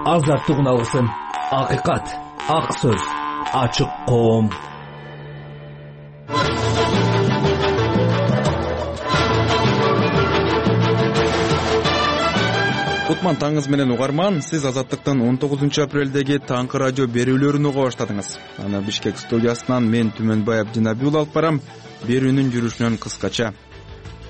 азаттык алгысын. Акыйкат, ак сөз, ачык коом. Кутман таңыңыз менен угарман. Сиз Азаттыктын 19 апрелдеги таңкы радио берүүлөрүн уга баштадыңыз. Аны Бишкек студиясынан мен Түмөнбай Абдинабиул алып барам. Берүүнүн жүрүшүнөн кыскача.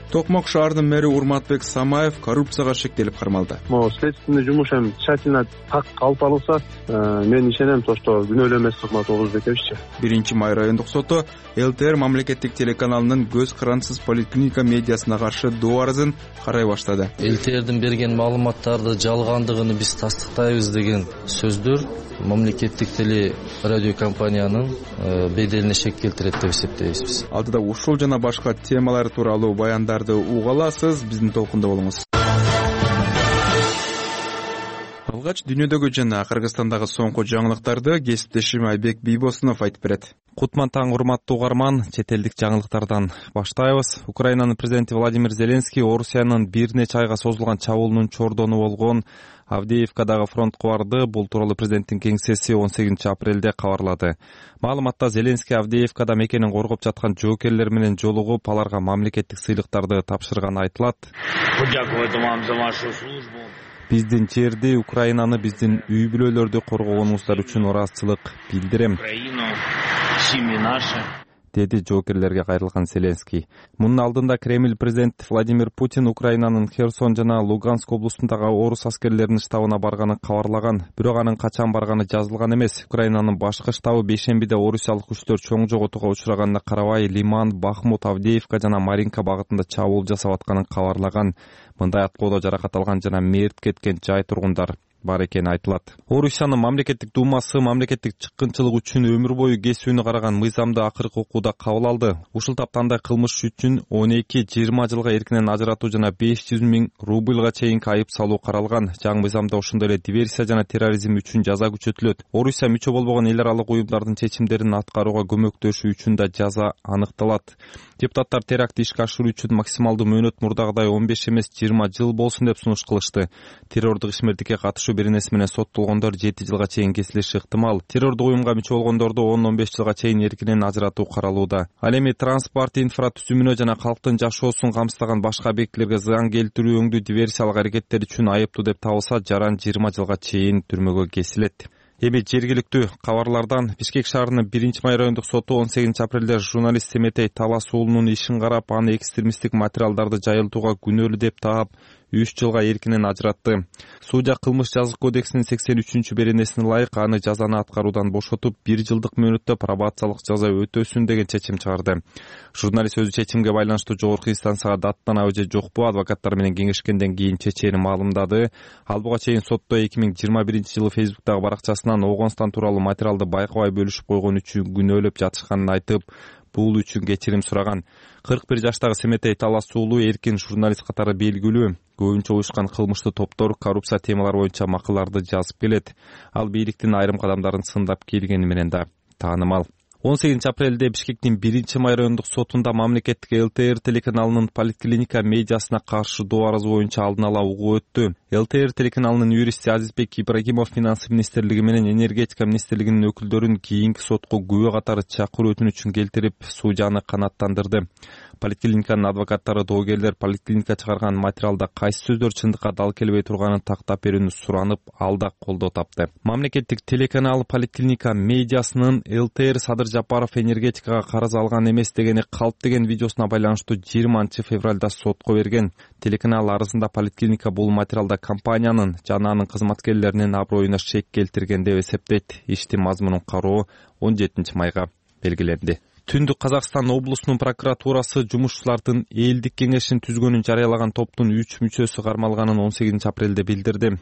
Токмок шаарынын мэри Урматбек Самаев коррупцияга шектелип кармалды. Могу следственный жумуш эми тщательно так алып барылса, мен ишенем, что күнөөлүү эмес кызмат Орузбековиччи. 1-май райондук соту ЛТР мамлекеттик телеканалынын көз карансыз поликлиника медиасына каршы доо арызын карай баштады. ЛТРдин берген маалыматтарды жалгандыгын биз тастыктайбыз деген сөздөр мамлекеттик теле радио компаниянын беделине шек келтирет деп эсептейбиз биз. Алдыда ушул жана башка темалар тууралуу баяндарды уга аласыз. Биздин толкунда болуңуз. Алгач дүйнөдөгү жана Кыргызстандагы соңку жаңылыктарды кесиптешим Айбек Бийбосунов айтып берет. Кутман таң, урматтуу угарман, чет элдик жаңылыктардан баштайбыз. Украинанын президенти Владимир Зеленский Орусиянын бир нече айга созулган чабуулунун чордону болгон Авдеевкадагы фронтко барды. Бул тууралуу президенттин кеңсеси 18 апрелде кабарлады. Маалыматта Зеленский Авдеевкада мекенин коргоп жаткан жоокерлер менен жолугуп, аларга мамлекеттик сыйлыктарды тапшырганы айтылат. Биздин жерди, Украинаны, биздин үй бүлөлөрдү коргогонуңуздар үчүн ыраазычылык билдирем, деди жоокерлерге кайрылган Зеленский. Мунун алдында Кремль президент Владимир Путин Украинанын Херсон жана Луганск облустундагы орус аскерлеринин штабына барганын кабарлаган. Бирок анын качан барганы жазылган эмес. Украинанын башкы штабы бейшембиде орусиялык күчтөр чоң жоготууга учураганына карабай, Лиман, Бахмут, Авдеевка жана Маринка багытында чабуул жасап атканын кабарлаган. Мындай аткоодо жаракат алган жана мерт кеткен жай тургундар бар экени айтылат. Орусиянын мамлекеттик думасы мамлекеттик чыккынчылык үчүн өмүр бою кесүүнү караган мыйзамды акыркы окууда кабыл алды. Ушул таптандай кылмыш үчүн 12-20 жылга эркинен ажыратуу жана 500 000 рубльга чейинки айып салуу каралган. Жаңы мыйзамда ошондой эле диверсия жана терроризм үчүн жаза күчөтүлөт. Орусия мүчө болбогон эл аралык уюмдардын чечимдерин аткарууга көмөктөшүү үчүн да жаза аныкталат. Депутаттар терактты ишке ашыруу үчүн максималдуу мөөнөт мурдагыдай 15 эмес 20 жыл болсун деп сунуш кылышты. Террордук ишмердикке катышуу беренеси менен соттолгондор 7 жылга чейин кесилиши ыктымал. Террордук уюмга мүчө болгондорду 10-15 жылга чейин эркинен ажыратуу каралууда. Ал эми транспорт инфратүзүмүнө жана калктын жашоосун камсыздаган башка объектилерге зыян келтирүү өңдүү диверсиялык аракеттер үчүн айыптуу деп табылса, жаран 20 жылга чейин түрмөгө кесилет. Эми жергиликтүү кабарлардан. Бишкек шаарынын 1-май райондук соту 18 апрелде журналист Семетей Талас уулунун ишин карап, аны экстремисттик материалдарды жайылтууга күнөөлүү деп таап 3 жылга эркинен ажыратты. Судья кылмыш жазык кодексинин 83-беренесине ылайык аны жазаны аткаруудан бошотуп, 1 жылдык мөөнөттө пробациялык жаза өтөсүн деген чечим чыгарды. Журналист өзү чечимге байланыштуу жогорку инстанцияга даттанабы же жокпу адвокаттар менен кеңешкенден кийин чечени маалымдады. Ал буга чейин сотто 2021-жылы Facebook'тагы баракчасынан Оогонстан тууралуу материалды байкабай бөлүшүп койгон үчүн күнөөлөп жатышканын айтып, бул үчүн кечирим сураган. 41 жаштагы Семетей Талас уулу эркин журналист катары белгилүү. Көбүнчө уюшкан кылмыштуу топтор коррупция темалары боюнча макалаларды жазып келет. Ал бийликтин айрым кадамдарын сындап келгени менен да таанымал. 18 апрелде Бишкектин 1-май райондук сотунда мамлекеттик ЛТР телеканалынын поликлиника медиасына каршы доо арызы боюнча алдын ала угуу өттү. ЛТР телеканалынын юристи Азизбек Ибрагимов Финансы министрлиги менен Энергетика министрлигинин өкүлдөрүн кийинки сотко күбө катары чакыруу өтүнүчүн келтирип, судьяны канааттандырды. Поликлиниканын адвокаттары доогерлер поликлиника чыгарган материалда кайсы сөздөр чындыкка дал келбей турганын тактап берүүнү суранып, ал да колдоо тапты. Мамлекеттик телеканал поликлиника медиасынын ЛТР Садыр Жапаров энергетикага карыз алган эмес дегени калп деген видеосуна байланыштуу 20 февралда сотко берген. Телеканал арызында поликлиника бул материалда компаниянын жана анын кызматкерлеринин аброюна шек келтирген деп эсептейт. Иштин мазмунун кароо 17 майга белгиленди. Түндүк Казакстан облусунун прокуратурасы жумушчулардын элдик кеңешин түзгөнүн жарыялаган топтун 3 мүчөсү кармалганын 18 апрелде билдирди.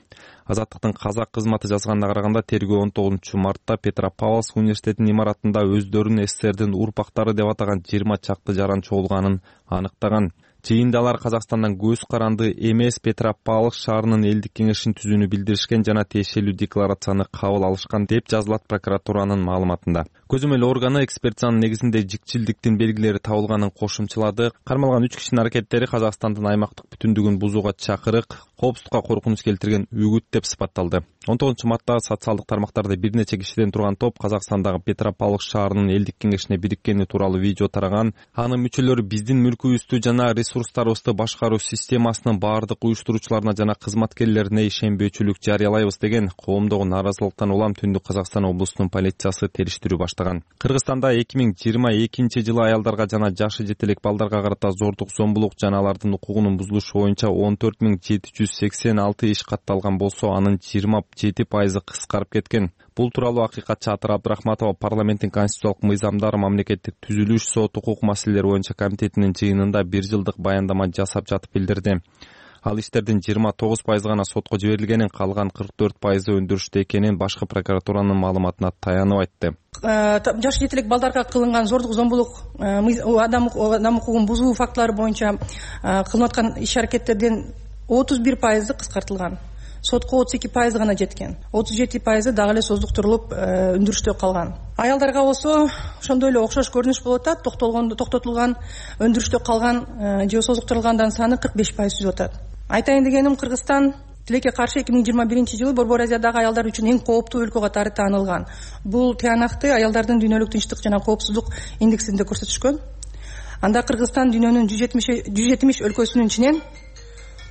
Азаттыктын казак кызматы жазганына караганда тергөө 19 мартта Петропавловск университетинин имаратында өздөрүн СССРдин урпактары деп атаган 20 чакты жаран чогулганын аныктаган. Жыйында алар Казакстандан көз каранды эмес Петропавловск шаарынын элдик кеңешин түзүүнү билдиришкен жана тиешелүү декларацияны кабыл алышкан деп жазылат прокуратуранын маалыматында. Көзөмөл органы экспертизанын негизинде жикчилдиктин белгилери табылганын кошумчалады. Кармалган 3 кишинин аракеттери Казакстандын аймактык бүтүндүгүн бузууга чакырык, коопсуздукка коркунуч келтирген үгүт деп сыпатталды. 19-мартта социалдык тармактарда бир нече кишиден турган топ Казакстандагы Петропавловск шаарынын элдик кеңешине бириккени тууралуу видео тараган. Анын мүчөлөрү биздин мүлкүбүздү жана ресурстарыбызды башкаруу системасынын баардык уюштуруучуларына жана кызматкерлерине ишенбөөчүлүк жарыялайбыз деген коомдогу нааразылыктан улам Түндүк Казакстан облусунун полициясы териштирүү баштаган. Кыргызстанда 2022-жылы аялдарга жана жашы жете элек балдарга карата зордук, зомбулук жана алардын укугунун бузулушу боюнча 14.786 иш катталган болсо, анын 27% кыскарып кеткен. Бул тууралуу акыйкатчы Атыр Абдрахматова парламенттин конституциялык мыйзамдар, мамлекеттик түзүлүш, сот, укук маселелери боюнча комитетинин жыйынында 1 жылдык баяндама жасап жатып билдирди. Ал иштердин 29% гана сотко жиберилгенин, калган 44% өндүрүштө экенин башкы прокуратуранын маалыматына таянып айтты. Жашы жете элек балдарга кылынган зордук, зомбулук, адам укугун бузуу фактылары боюнча кылынып аткан иш-аракеттердин 31% кыскартылган. Сотко 32% гана жеткен. 37% дагы эле создуктурулуп өндүрүштө калган. Аялдарга болсо ошондой эле окшош көрүнүш болуп атат. Токтотулган, өндүрүштө калган же создуктурулгандан саны 45% түзүп атат. Айтайын дегеним, Кыргызстан тилекке каршы 2021-жылы Борбор Азиядагы аялдар үчүн эң кооптуу өлкө катары таанылган. Бул тыянакты аялдардын дүйнөлүк тынчтык жана коопсуздук индексинде көрсөтүшкөн. Анда Кыргызстан дүйнөнүн 170 өлкөсүнүн ичинен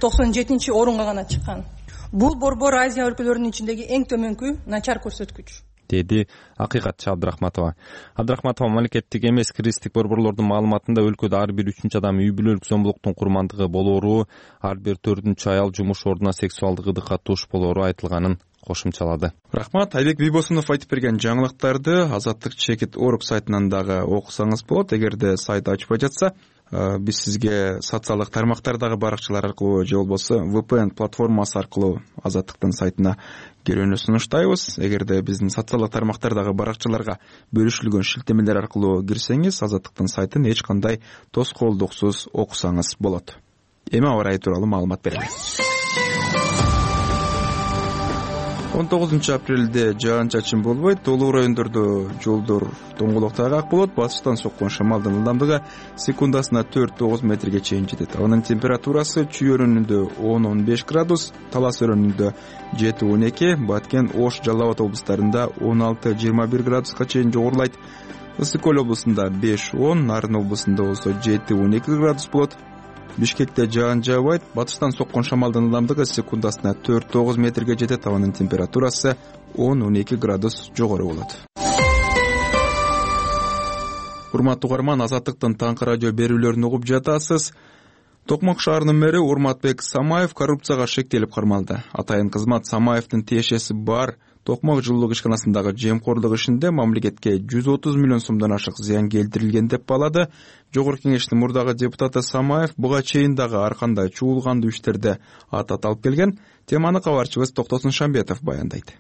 97-орунга гана чыккан. Бул Борбор Азия өлкөлөрүнүн ичиндеги эң төмөнкү начар көрсөткүч, деди акыйкатчы Абдрахматова. Абдрахматова мамлекеттик эмес кыргыздык борборлордун маалыматында өлкөдө ар бир 3-чү адам үй бүлөлүк зомбулуктун курмандыгы болоору, ар бир 4-чү аял жумуш ордуна сексуалдык ыдыкка туш болоору айтылганын кошумчалады. Рахмат. Айбек Бийбосунов айтып берген жаңылыктарды Азаттык.org сайтынан дагы окусаңыз болот. Эгерде сайт ачпай жатса, биз сизге социалдык тармактардагы баракчалар аркылуу же болбосо VPN платформасы аркылуу Азаттыктын сайтына кирүүнү сунуштайбыз. Эгерде биздин социалдык тармактардагы баракчаларга бөлүшүлгөн шилтемелер аркылуу кирсеңиз, Азаттыктын сайтын эч кандай тоскоолдуксуз окусаңыз болот. Эми аба ырайы тууралуу маалымат беребиз. 19 апрелде жаан-чачын болбойт. Толук райондордо жолдор тоңголок тайгак болот. Батыштан соккон шамалдын ылдамдыгы секундасына 4-9 метрге чейин жетет. Анын температурасы Чүй өрөөнүндө 10-15 градус, Талас өрөөнүндө 7-12, Баткен, Ош, Жалал Абад облустарында 16-21 градуска чейин жогорулайт. Ысык Көл облусунда 5-10, Нарын облусунда болсо 7-12 градус болот. Бишкекте жаан жаабайт. Батыштан соккон шамалдын ылдамдыгы секундасына 4-9 метрге жетет. Анын температурасы 10-12 градус жогору болот. Урматтуу угарман, Азаттыктын таңкы радио берүүлөрүн угуп жатасыз. Токмок шаарынын мэри Урматбек Самаев коррупцияга шектелип кармалды. Атайын кызмат Самаевдин тиешеси бар Токмок жылуулук ишканасындагы жемкорлук ишинде мамлекетке 130 миллион сомдон ашык зыян келтирилген деп баалады. Жогорку кеңештин мурдагы депутаты Самаев буга чейин дагы ар кандай чуулгандуу иштерде ат алып келген. Теманы кабарчыбыз Токтосун Шамбетов баяндайт.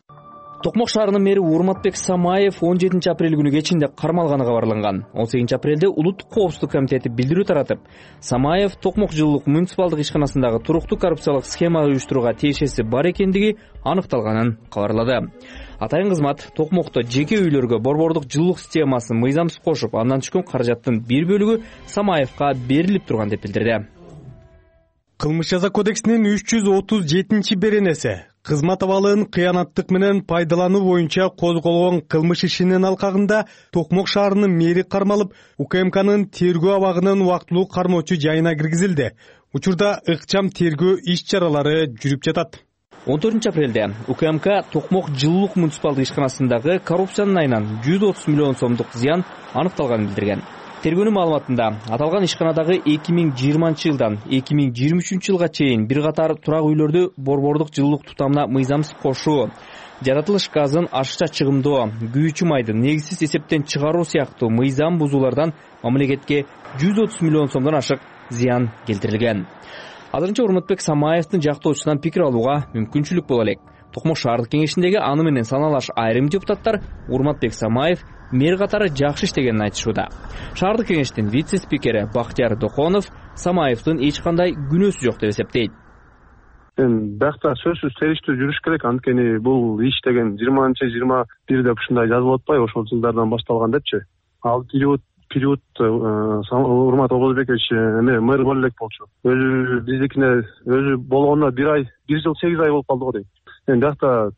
Токмок шаарынын мэри Урматбек Самаев 17 апрель күнү кечинде кармалганы кабарланган. 18 апрелде Улуттук коопсуздук комитети билдирүү таратып, Самаев Токмок жылуулук муниципалдык ишканасындагы туруктуу коррупциялык схема уюштурууга тиешеси бар экендиги аныкталганын кабарлады. Атайын кызмат Токмокто жеке үйлөргө борбордук жылуулук системасын мыйзамсыз кошуп, андан түшкөн каражаттын бир бөлүгү Самаевка берилип турган деп билдирди. Кылмыш жаза кодексинин 337-беренеси кызмат абалын кыянаттык менен пайдалануу боюнча козголгон кылмыш ишинин алкагында Токмок шаарынын мэри кармалып, УКМКнын тергөө абагынын убактылуу кармоочу жайына киргизилди. Учурда ыкчам тергөө иш-чаралары жүрүп жатат. 14 апрелде УКМК Токмок жылуулук муниципалдык ишканасындагы коррупциянын айынан 130 миллион сомдук зыян аныкталганын билдирген. Тергөөнүн маалыматында аталган ишканадагы 2020 жылдан 2023 жылга чейин бир катар турак үйлөрдү борбордук жылуулук тутамына мыйзамсыз кошуу, жаратылыш газын ашыкча чыгымдоо, күйүүчү майды негизсиз эсептен чыгаруу сыяктуу мыйзам бузуулардан мамлекетке 130 миллион сомдон ашык зыян келтирилген. Азырынча Урматбек Самаевдин жактоочусунан пикир алууга мүмкүнчүлүк боло элек. Токмок шаардык кеңешиндеги аны менен саналаш айрым депутаттар Урматбек Самаев мэр катары жакшы иштегенин айтышууда. Шаардык кеңештин вице-спикери Бактияр Дохонов Самаевдин эч кандай күнөөсү жок деп эсептейт. Биякта сөзсүз териштүү жүрүш керек. Анткени бул иш деген 20-21 деп ушундай жазылып атпайбы, ошол жылдардан башталган депчи. Ал период период Урмат Обозбекович эме мэр боло элек болчу. Өзү биздикине өзү болгонуна 1 жыл 8 ай болуп калды го дейм. Эми биякта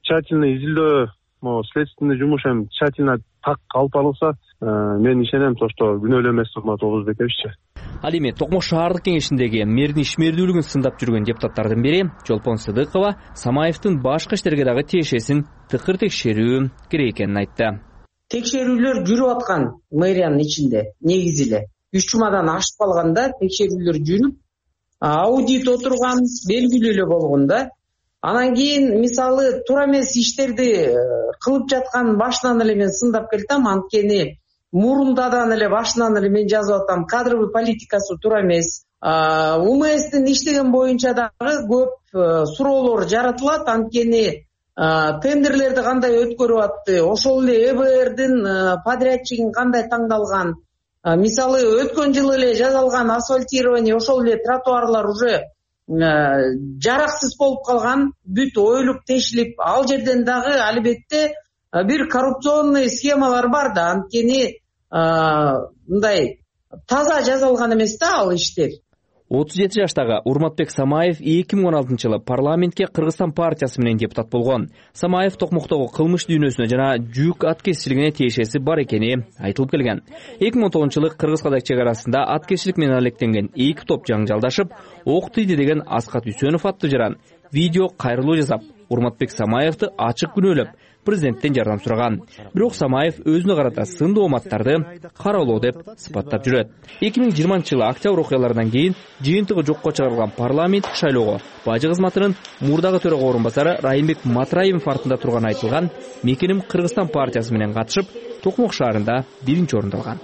тщательный изилдөө, могу следственный жумуш эми тщательно так алып барылса, мен ишенем что күнөөлүү эмес Урмат Обозбековиччи. Ал эми Токмок шаардык кеңешиндеги мэрдин ишмердүүлүгүн сындап жүргөн депутаттардын бири Жолпон Сыдыкова Самаевдин башкы иштерге дагы тиешесин тыкыр текшерүү керек экенин айтты. Текшерүүлөр жүрүп аткан мэриянын ичинде негизи эле 3 жумадан ашып калганда текшерүүлөр жүрүп, аудит отурган, белгилүү эле болгон да. Анан кийин мисалы туура эмес иштерди кылып жаткан башынан эле мен сындап келтем, анткени мурундадан эле башынан эле мен жазып атам, кадровый политикасы туура эмес. УМСтин иштеген боюнча дагы көп суроолор жаратылат, анткени тендерлерди кандай өткөрүп атты, ошол эле ЭБРдин подрядчигин кандай таңдалган. Мисалы өткөн жылы эле жасалган асфальтирование, ошол эле тротуарлар уже жараксыз болуп калган, бүт оюлуп тешилип, ал жерден дагы албетте бир коррупционный схемалар бар да, анткени мындай таза жасалган эмес да ал иштер. 37 жаштагы Урматбек Самаев 2016-жылы парламентке Кыргызстан партиясы менен депутат болгон. Самаев Токмоктогу кылмыш дүйнөсүнө жана жүк аткезчилигине тиешеси бар экени айтылып келген. 2010-жылы Кыргыз-Кадаг чек арасында аткезчилик менен алектенген 2 топ жаңжалдашып, ок тийди деген Аскат Үсөнов аттуу жаран видео кайрылуу жасап, Урматбек Самаевди ачык күнөөлөп, президенттен жардам сураган. Бирок Самаев өзүнө карата сындуу оматтарды каралоо деп сыпаттап жүрөт. 2020-жылы октябрь окуяларынан кийин жыйынтыгы жокко чыгарылган парламенттик шайлоого бажы кызматынын мурдагы төрага орун басары Райымбек Матраевин артында турганы айтылган Мекеним Кыргызстан партиясы менен катышып, Токмок шаарында 1-орунду алган.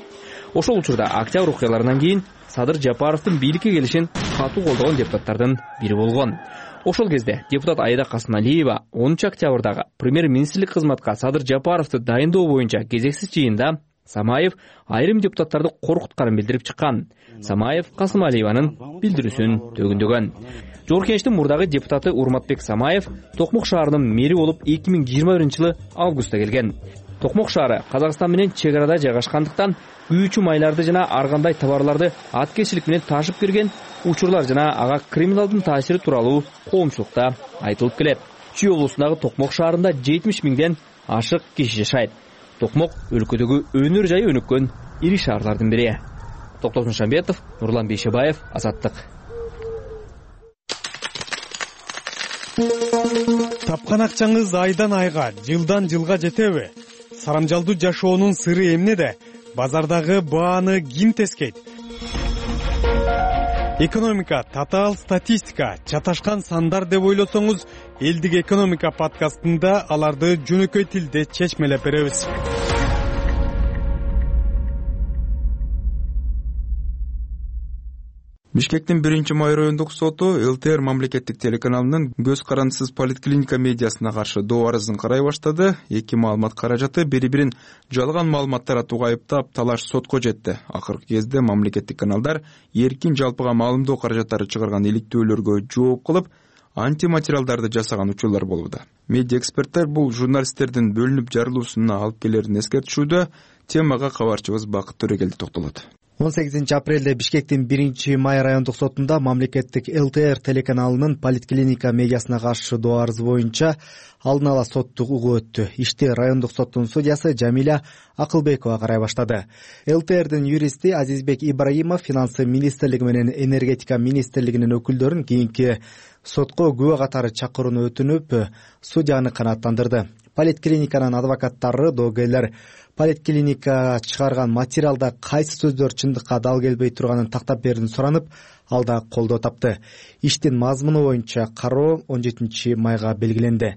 Ошол учурда октябрь окуяларынан кийин Садыр Жапаровдун бийликке келишин катуу колдогон депутаттардын бири болгон. Ошол кезде депутат Айда Касымалиева 10 октябрдагы премьер-министрлик кызматка Садыр Жапаровду дайындоо боюнча кезексиз жыйында Самаев айрым депутаттарды коркутканын билдирип чыккан. Самаев Касымалиеванын билдирүүсүн төгүндөгөн. Жогорку кеңештин мурдагы депутаты Урматбек Самаев Токмок шаарынын мэри болуп 2021-жылы августта келген. Токмок шаары Казакстан менен чек арада жайгашкандыктан күйүүчү майларды жана ар кандай товарларды аткезчилик менен ташып кирген учурлар жана ага криминалдын таасири тууралуу коомчулукта айтылып келет. Чүй облусундагы Токмок шаарында 70 миңден ашык киши жашайт. Токмок өлкөдөгү өнөр жайы өнүккөн ири шаарлардын бири. Токтосун Шамбетов, Нурлан Бейшебаев, Азаттык. Тапкан акчаңыз айдан айга, жылдан жылга жетеби? Сарамжалдуу жашоонун сыры эмнеде? Базардагы бааны ким тескейт? Экономика, татаал статистика, чаташкан сандар деп ойлосоңуз, элдик экономика подкастында аларды жөнөкөй тилде чечмелеп беребиз. Бишкектин 1-май райондук соту ЛТР мамлекеттик телеканалынын көз карандысыз поликлиника медиасына каршы доо арызын карай баштады. 2 маалымат каражаты бири-бирин жалган маалымат таратууга айыптап талаш сотко жетти. Акыркы кезде мамлекеттик каналдар эркин жалпыга маалымдоо каражаттары чыгарган иликтөөлөргө жооп кылып, антиматериалдарды жасаган учурлар болууда. Медиа эксперттер бул журналисттердин бөлүнүп жарылуусуна алып келерин эскертишүүдө. Темага кабарчыбыз Бакыт Төрөгелди токтолот. 18-апрелде Бишкектин 1-май райондук сотунда мамлекеттик ЛТР телеканалынын поликлиника медиасына каршы доо арызы боюнча алдын ала соттук угуу өттү. Ишти райондук соттун судьясы Жамиля Акылбекова карай баштады. ЛТРдин юристи Азизбек Ибраимов финансы министрлиги менен энергетика министрлигинин өкүлдөрүн кийинки сотко күбө катары чакырууну өтүнүп, судьяны канааттандырды. Поликлиниканын адвокаттары доогерлер поликлиника чыгарган материалда кайсы сөздөр чындыкка дал келбей турганын тактап берүүнү суранып, ал да колдоо тапты. Иштин мазмуну боюнча кароо 17-майга белгиленди.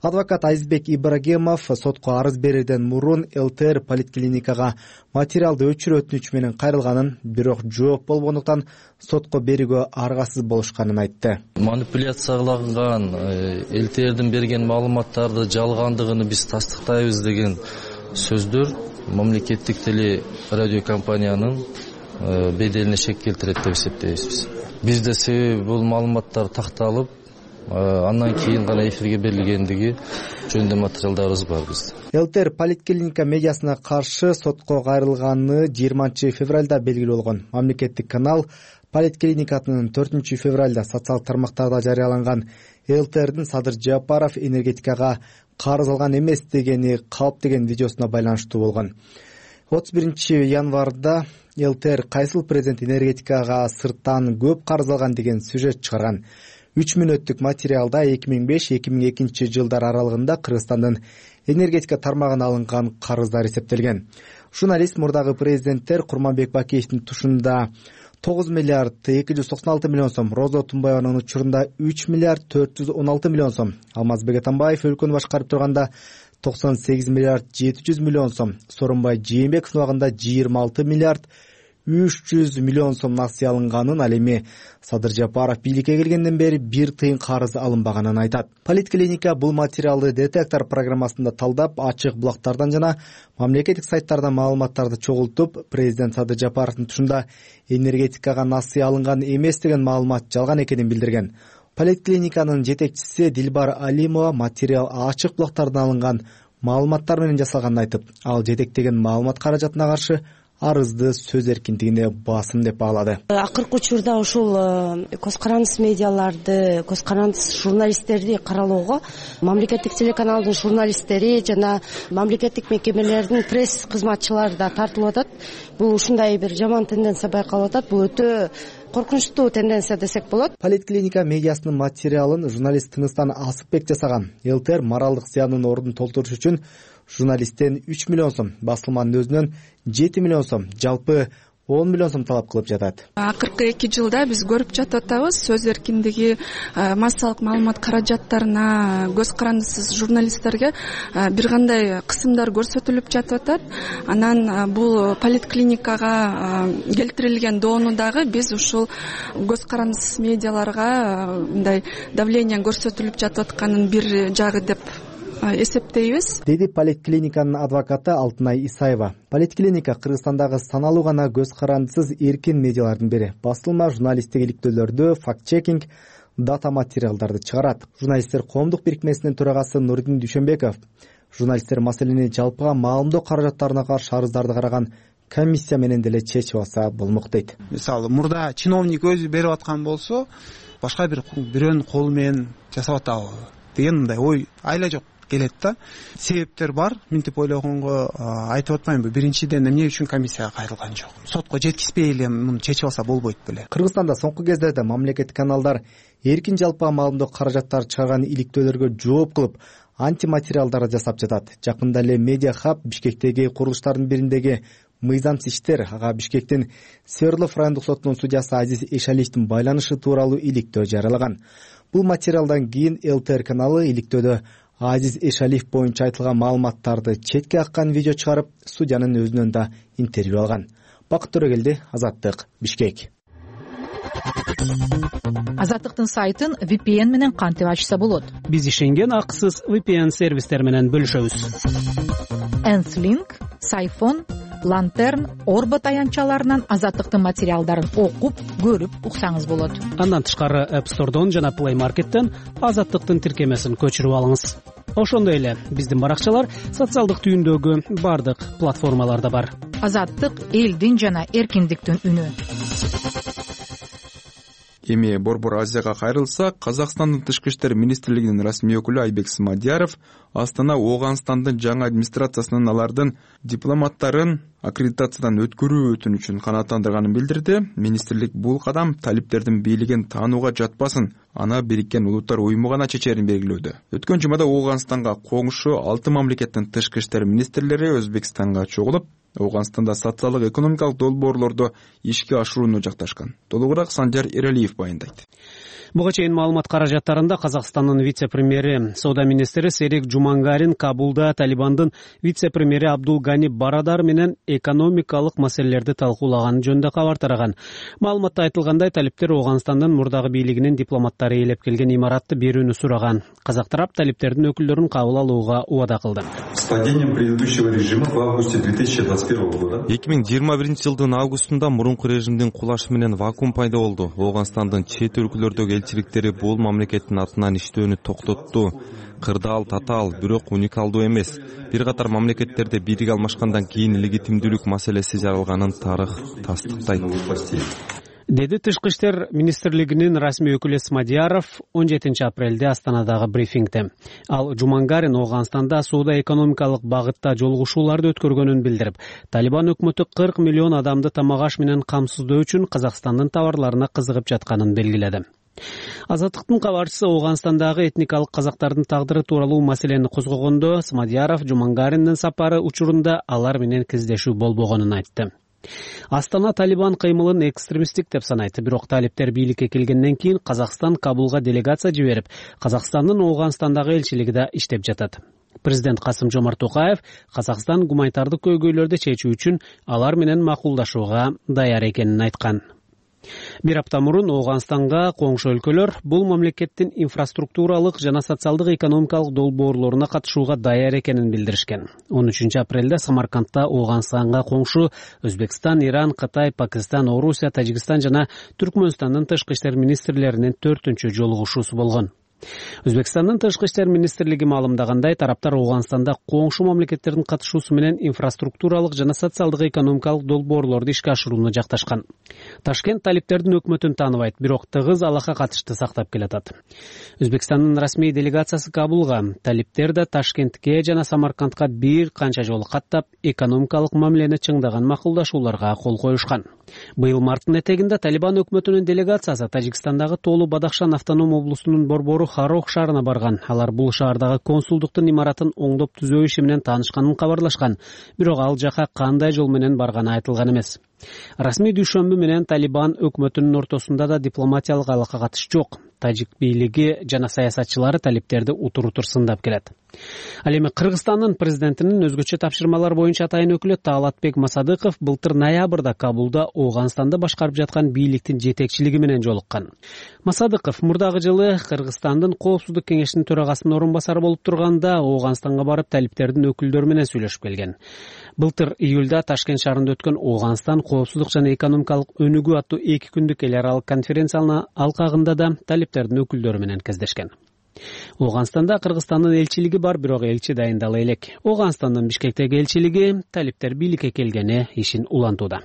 Адвокат Азизбек Ибрагимов сотко арыз берүүдөн мурун ЛТР поликлиникага материалды өчүрүү өтүнүчү менен кайрылганын, бирок жооп болбогондуктан сотко берүүгө аргасыз болушканын айтты. Манипуляцияланган ЛТРдин берген маалыматтарды жалгандыгын биз тастыктайбыз деген сөздөр мамлекеттик теле радио компаниянын беделине шек келтирет деп эсептейбиз. Бизде себеби бул маалыматтар такталып, андан кийин гана эфирге берилгендиги жөнүндө материалдарыбыз бар биздин. ЛТР Политклиника медиасына каршы сотко кайрылганы 20 февралда белгилүү болгон. Мамлекеттик канал Политклиниканын 4 февралда социалдык тармактарда жарыяланган ЛТРдин Садыр Жапаров энергетикага карыз алган эмес дегени калп деген видеосуна байланыштуу болгон. 31 январда ЛТР кайсыл президент энергетикага сырттан көп карыз алган деген сюжет чыгарган. 3 мүнөттүк материалда 2005-2002 жылдар аралыгында Кыргызстандын энергетика тармагына алынган карыздар эсептелген. Журналист мурдагы президенттер Курманбек Бакиевдин тушунда 9 миллиард 296 миллион сом, Роза Тумбаеванын учурунда 3 миллиард 416 миллион сом, Алмазбек Атамбаев өлкөнү башкарып турганда 98 миллиард 700 миллион сом, Сооронбай Жээнбековдун убагында 26 миллиард 300 миллион сом насыя алынганын, ал эми Садыр Жапаров бийликке келгенден бери 1 тыйын карыз алынбаганын айтат. Политклиника бул материалды детектор программасында талдап, ачык булактардан жана мамлекеттик сайттардан маалыматтарды чогултуп, президент Садыр Жапаровдун тушунда энергетикага насыя алынган эмес деген маалымат жалган экенин билдирген. Политклиниканын жетекчиси Дилбар Алимова материал ачык булактардан алынган маалыматтар менен жасалганын айтып, ал жетектеген маалымат каражатына каршы арызды сөз эркиндигине басым деп баалады. Акыркы учурда ушул көз карандыс медиаларды, көз карандыс журналисттерди каралоого мамлекеттик телеканалдын журналисттери жана мамлекеттик мекемелердин пресс кызматчылары да тартылып атат. Бул ушундай бир жаман тенденция байкалып атат. Бул өтө коркунучтуу тенденция десек болот. Политклиника медиасынын материалын журналист Тыныстан Асыпбек жасаган. ЛТР моралдык зыяндын ордун толтуруш үчүн журналисттен 3 миллион сом, басылманын өзүнөн 7 миллион сом, жалпы 10 миллион сом талап кылып жатат. Акыркы 2 жылда биз көрүп жатып атабыз, сөз эркиндиги, массалык маалымат каражаттарына, көз карандысыз журналисттерге бир кандай кысымдар көрсөтүлүп жатып атат. Анан бул политклиникага келтирилген доону дагы биз ушул көз карандысыз медиаларга мындай давление көрсөтүлүп жатып атканын бир жагы деп эсептейбиз, деди политклиниканын адвокаты Алтынай Исаева. Политклиника Кыргызстандагы саналуу гана көз карандысыз эркин медиалардын бири. Басылма журналисттик иликтөөлөрдү, факт-чекинг, дата материалдарды чыгарат. Журналисттер коомдук бирикмесинин төрагасы Нурдин Дүйшөнбеков журналисттер маселени жалпыга маалымдоо каражаттарына каршы арыздарды караган комиссия менен деле чечип алса болмок дейт. Мисалы, мурда чиновник өзү берип аткан болсо, башка бирөөнүн колу менен жасап атабы деген мындай ой айла жок келет да. Себептер бар, мынтип ойлогонго айтып атпаймынбы. Биринчиден эмне үчүн комиссияга кайрылган жок? Сотко жеткизбей эле муну чечип алса болбойт беле. Кыргызстанда соңку кездерде мамлекеттик каналдар эркин жалпыга маалымдоо каражаттары чыгарган иликтөөлөргө жооп кылып, антиматериалдарды жасап жатат. Жакында эле Медиа Хаб Бишкектеги курулуштардын бириндеги мыйзамсыз иштер, ага Бишкектин Свердлов райондук сотунун судьясы Азиз Эшалиевдин байланышы тууралуу иликтөө жарыялаган. Бул материалдан кийин ЛТР каналы иликтөөдө Азиз Эшалиев боюнча айтылган маалыматтарды четке аккан видео чыгарып, судьянын өзүнөн да интервью алган. Бакыт Төрөгелди, Азаттык, Бишкек. Азаттыктын сайтын VPN менен кантип ачса болот? Биз ишенген акысыз VPN сервистер менен бөлүшөбүз. Enslink, Сайфон, Lantern, Орбо таянчаларынан Азаттыктын материалдарын окуп, көрүп уксаңыз болот. Андан тышкары App Store'дон жана Play Market'тен Азаттыктын тиркемесин көчүрүп алыңыз. Ошондой эле биздин баракчалар социалдык түйүндөгү бардык платформаларда бар. Азаттык элдин жана эркиндиктин үнү. Эми Борбор Азияга кайрылсак, Казакстандын Тышкы иштер министрлигинин расмий өкүлү Айбек Смадияров Астана Ооганстандын жаңы администрациясынын алардын дипломаттарын аккредитациядан өткөрүү өтүнүчүн канааттандырганын билдирди. Министрлик бул кадам талиптердин бийлигин таанууга жатпасын, аны Бириккен Улуттар Уюму гана чечерин белгилөөдө. Өткөн жумада Ооганстанга коңшу 6 мамлекеттин тышкы иштер министрлери Өзбекстанга чогулуп, Ооганстанда социалдык экономикалык долбоорлорду ишке ашырууну жакташкан. Толугураак Санжар Эралиев баяндайт. Буга чейин маалымат каражаттарында Казакстандын вице-премьери, соода министри Серик Жумангарин Кабулда Талибандын вице-премьери Абдул Гани Барадар менен экономикалык маселелерди талкуулаганы жөнүндө кабар тараган. Маалыматта айтылгандай, талиптер Ооганстандын мурдагы бийлигинин дипломаттары ээлеп келген имаратты берүүнү сураган. Казак тарап талиптердин өкүлдөрүн кабыл алууга убада кылды. С падением предыдущего режима в августе 2020 2021 года 2021 августунда мурунку режимдин кулашы менен вакуум пайда болду. Ооганстандын чет өлкөлөрдөгү элчиликтери бул мамлекеттин атынан иштөөнү токтотту. Кырдаал, татаал, бирок уникалдуу эмес. Бир катар мамлекеттерде бийлик алмашкандан кийин легитимдүүлүк маселеси жаралганын тарых тастыктайт, деди Тышкы иштер министрлигинин расмий өкүлү Смадияров 17 апрелде Астанадагы брифингде. Ал Жумангарин Ооганстанда соода-экономикалык багытта жолугушууларды өткөргөнүн билдирип, Талибан өкмөтү 40 миллион адамды тамак-аш менен камсыздоо үчүн Казакстандын товарларына кызыгып жатканын белгиледи. Азаттыктын кабарчысы Ооганстандагы этникалык казактардын тагдыры тууралуу маселени козгогондо, Смадияров Жумангариндин сапары учурунда алар менен кездешүү болбогонун айтты. Астана Талибан кыймылын экстремисттик деп санайт, бирок талиптер бийликке келгенден кийин Казакстан Кабулга делегация жиберип, Казакстандын Ооганстандагы элчилиги да иштеп жатат. Президент Касым-Жомарт Токаев Казакстан гуманитардык көйгөйлөрдү чечүү үчүн алар менен макулдашууга даяр экенин айткан. Бир апта мурун Ооганстанга коңшу өлкөлөр бул мамлекеттин инфраструктуралык жана социалдык экономикалык долбоорлоруна катышууга даяр экенин билдиришкен. 13 апрелде Самаркандта Ооганстанга коңшу Өзбекстан, Иран, Кытай, Пакистан, Орусия, Тажикстан жана Түркмөнстандын тышкы иштер министрлеринин 4-чү жолугушуусу болгон. Өзбекстандын тышкы иштер министрлиги маалымдагандай, тараптар Ооганстанда коңшу мамлекеттердин катышуусу менен инфраструктуралык жана социалдык экономикалык долбоорлорду ишке ашырууну жакташкан. Ташкент талиптердин өкмөтүн тааныбайт, бирок тыгыз алака катышты сактап келатат. Өзбекстандын расмий делегациясы Кабулга, талиптер да Ташкентке жана Самаркандка бир канча жолу каттап, экономикалык мамилени чыңдаган макулдашууларга кол коюшкан. Быйыл марттын этегинде Талибан өкмөтүнүн делегациясы Тажикстандагы Тоолу Бадахшан автоном облусунун борбору Харох шаарына барган. Алар бул шаардагы консулдуктун имаратын оңдоп түзөө иши менен таанышканын кабарлашкан. Бирок ал жака кандай жол менен барганы айтылган эмес. Расмий дүйшөмбү менен Талибан өкмөтүнүн ортосунда да дипломатиялык алака катыш жок. Тажик бийлиги жана саясатчылары талиптерди утур-утур сындап келет. Ал эми Кыргызстандын президентинин өзгөчө тапшырмалар боюнча атайын өкүлү Таалатбек Масадыков былтыр ноябрда Кабулда Ооганстанды башкарып жаткан бийликтин жетекчилиги менен жолуккан. Масадыков мурдагы жылы Кыргызстандын Коопсуздук кеңешинин төрагасынын орун басары болуп турганда Ооганстанга барып талиптердин өкүлдөрү менен сүйлөшүп келген. Былтыр июлда Ташкент шаарында өткөн Ооганстан коопсуздук жана экономикалык өнүгүү аттуу 2 күндүк эл аралык конференциянын алкагында да талиптердин өкүлдөрү менен кездешкен. Ооганстанда Кыргызстандын элчилиги бар, бирок элчи дайындала элек. Ооганстандын Бишкектеги элчилиги талиптер бийликке келгени ишин улантууда.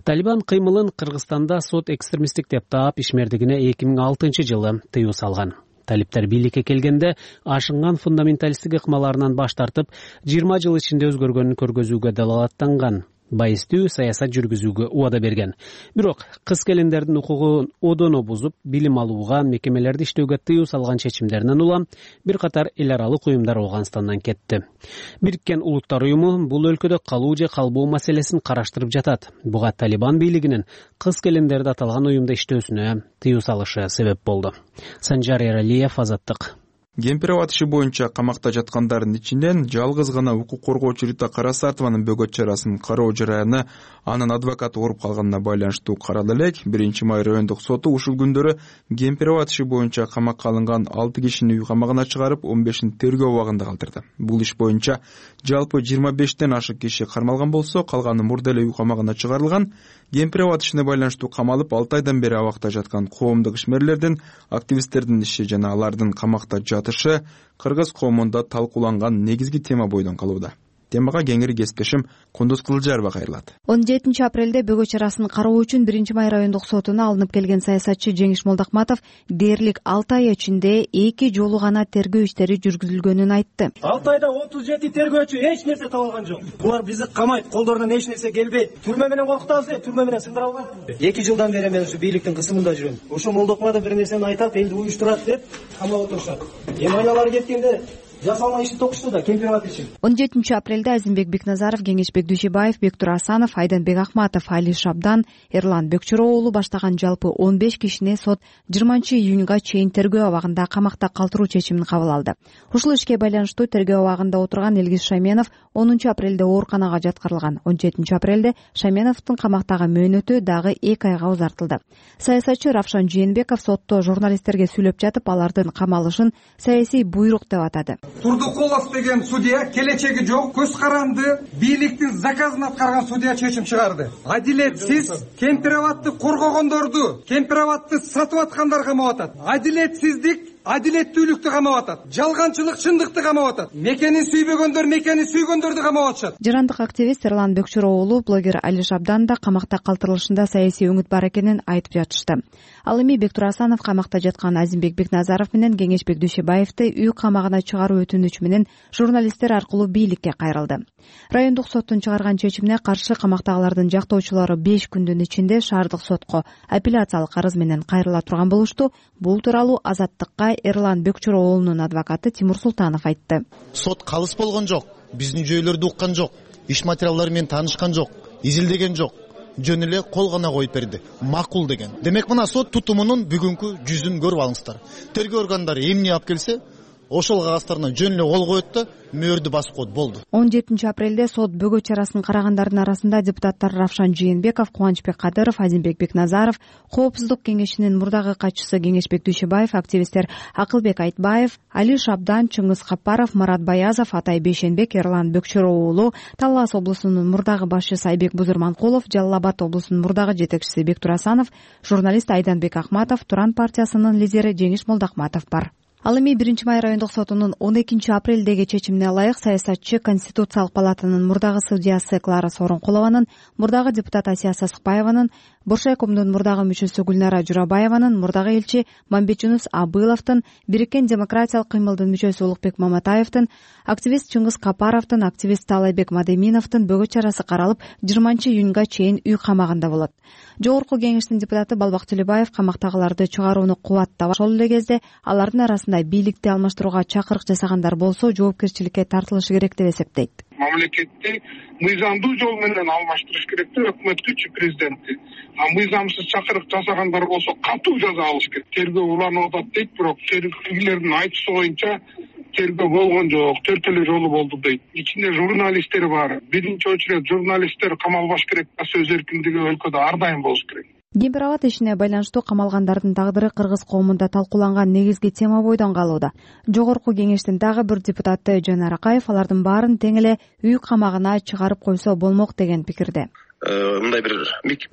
Талибан кыймылын Кыргызстанда сот экстремисттик деп таап, ишмердигине 2006 жылы тыюу салган. Талиптер бийликке келгенде ашынган фундаменталисттик ыкмаларынан баш тартып, 20 жыл ичинде өзгөргөнүн көргөзүүгө далалаттанган. Байыстуу саясат жүргүзүүгө убада берген. Бирок кыз келиндердин укугун одоно бузуп, билим алууга, мекемелерди иштөөгө тыюу салган чечимдеринен улам бир катар эл аралык уюмдар Ооганстандан кетти. Бириккен Улуттар уюму бул өлкөдө калуу же калбоо маселесин караштырып жатат. Буга Талибан бийлигинин кыз келиндерди аталган уюмда иштөөсүнө тыюу салышы себеп болду. Санжар Эралиев, Азаттык. Кемпирабад иши боюнча камакта жаткандардын ичинен жалгыз гана укук коргоочу Рита Карасартованын бөгөт чарасын кароо жараяны анын адвокаты ооруп калганына байланыштуу каралды элек. 1-май райондук соту ушул күндөрү Кемпирабад иши боюнча камакка алынган 6 кишини үй камагына чыгарып, 15-ин тергөө абагында калтырды. Бул иш боюнча жалпы 25тен ашык киши кармалган болсо, калганы мурда эле үй камагына чыгарылган. Кемпирабад ишине байланыштуу камалып 6 айдан бери абакта жаткан коомдук ишмерлердин, активисттердин иши жана алардын камакта жатышы кыргыз коомунда талкууланган негизги тема бойдон калууда. Темага кеңири кесиптешим Кундуз Кызылжарова кайрылат. 17 апрелде бөгөт чарасын кароо үчүн 1-май райондук сотуна алынып келген саясатчы Жеңиш Молдокматов дээрлик 6 ай ичинде 2 жолу гана тергөө иштери жүргүзүлгөнүн айтты. 6 айда 37 тергөөчү эч нерсе таба алган жок. Булар бизди камайт, колдорунан эч нерсе келбейт. Түрмө менен коркутабыз, түрмө менен сындыра албайт. 2 жылдан бери мен ушу бийликтин кысымында жүрөм. Ошо Молдокматов бир нерсени айтат, элди уюштурат деп камап отурушат. Эми аялар кеткенде жасалган ишти токушту да Кемпирабад иши. 17 апрелде Азимбек Бекназаров, Кеңешбек Дүйшөбаев, Бектур Асанов, Айданбек Ахматов, Али Шабдан, Эрлан Бекчуро уулу баштаган жалпы 15 кишини сот 20-июнга чейин тергөө абагында камакта калтыруу чечимин кабыл алды. Ушул ишке байланыштуу тергөө абагында отурган Элгиз Шаменов 10 апрелде ооруканага жаткырылган. 17 апрелде Шаменовдун камактагы мөөнөтү дагы 2 айга узартылды. Саясатчы Равшан Жээнбеков сотто журналисттерге сүйлөп жатып, алардын камалышын саясий буйрук деп атады. Турдукулов деген судья келечеги жок, көз каранды, бийликтин заказын аткарган судья чечим чыгарды. Адилетсиз кемпир абадты коргогондорду, кемпир абадты сатып аткандар камап атат. Адилетсиздик адилеттүүлүктү камап атат. Жалганчылык чындыкты камап атат. Мекенин сүйбөгөндөр мекени сүйгөндөрдү камап атышат. Жырандык активист Эрлан Бөкчөрө уулу блогер Али Шабдан да камакта калтырылышында саясий өңүт бар экенин айтып жатышты. Ал эми Бектур Асанов камакта жаткан Азимбек Бекназаров менен Кеңешбек Дүйшөбаевди үй камагына чыгаруу өтүнүчү менен журналисттер аркылуу бийликке кайрылды. Райондук соттун чыгарган чечимине каршы камактагылардын жактоочулары 5 күндүн ичинде шаардык сотко апелляциялык арыз менен кайрыла турган болушту. Бул тууралуу Азаттыкка Эрлан Бөкчөрө уулунун адвокаты Тимур Султанов айтты. Сот калыс болгон жок, биздин жөйлөрдү уккан жок, иш материалдары менен таанышкан жок, изилдеген жок. Жөн эле кол гана коюп берди. Макул деген. Демек мына сот тутумунун бүгүнкү жүзүн көрүп алыңыздар. Тергөө органдары эмне алып келсе, ошол кагазддарына жөн эле кол коет да мөөрдү басып коет, болду. 17 апрелде сот бөгөт чарасын карагандардын арасында депутаттар Равшан Жээнбеков, Кубанычбек Кадыров, Азимбек Бекназаров, Коопсуздук кеңешинин мурдагы катчысы Кеңешбек Дүйшөбаев, активисттер Акылбек Айтбаев, Али Шабдан, Чыңгыз Капаров, Марат Баязов, Атай Бейшенбек, Эрлан Бөкчөрө уулу, Талас облусунун мурдагы башчысы Айбек Бузурманкулов, Жалал Абад облусунун мурдагы жетекчиси Бектур Асанов, журналист Айданбек Ахматов, Туран партиясынын лидери Жеңиш Молдохматов бар. Ал эми 1 май райондук сотунун 12 апрелдеги чечимине ылайык саясатчы Конституциялык палатанын мурдагы судьясы Клара Сооронкулованын, мурдагы депутат Асия Сасыкбаеванын, Боршайкомдун мурдагы мүчөсү Гүлнара Журабаеванын, мурдагы элчи Мамбетжунус Абыловдун, Бириккен демократиялык кыймылдын мүчөсү Улукбек Маматаевдин, активист Чыңгыз Капаровдун, активист Таалайбек Мадеминовдун бөгөт чарасы каралып 20-июнга чейин үй камагында болот. Жогорку кеңештин депутаты Балбак Төлөбаев камактагыларды чыгарууну кубаттап, ошол эле кезде алардын арасында бийликти алмаштырууга чакырык жасагандар болсо жоопкерчиликке тартылышы керек деп эсептейт. Мамлекетти мыйзамдуу жол менен алмаштырыш керек деп өкмөткүчү президентти. Мыйзамсыз чакырык жасагандар болсо катуу жаза алыш керек. Тергөө уланып атат дейт, бирок тергөөгүлөрдүн айтуусу боюнча тергөө болгон жок, 4 эле жолу болду дейт. Ичинде журналисттер бар. Биринчи очередь журналисттер камалбаш керек, сөз эркиндиги өлкөдө ар дайым болуш керек. Кемпир абад ишине байланыштуу камалгандардын тагдыры кыргыз коомунда талкууланган негизги тема бойдон калууда. Жогорку кеңештин дагы бир депутаты Жөн Аракаев алардын баарын тең эле үй камагына чыгарып койсо болмок деген пикирде. Мындай бир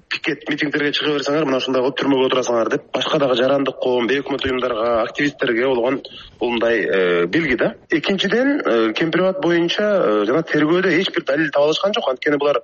пикет митингдерге чыга берсеңер, мына ушундай кылып түрмөгө отурасаңар деп, башка дагы жарандык коом, бейөкмөт уюмдарга, активисттерге болгон бул мындай билги да. Экинчиден, кемпир абад боюнча жана тергөөдө эч бир далил таба алышкан жок. Анткени булар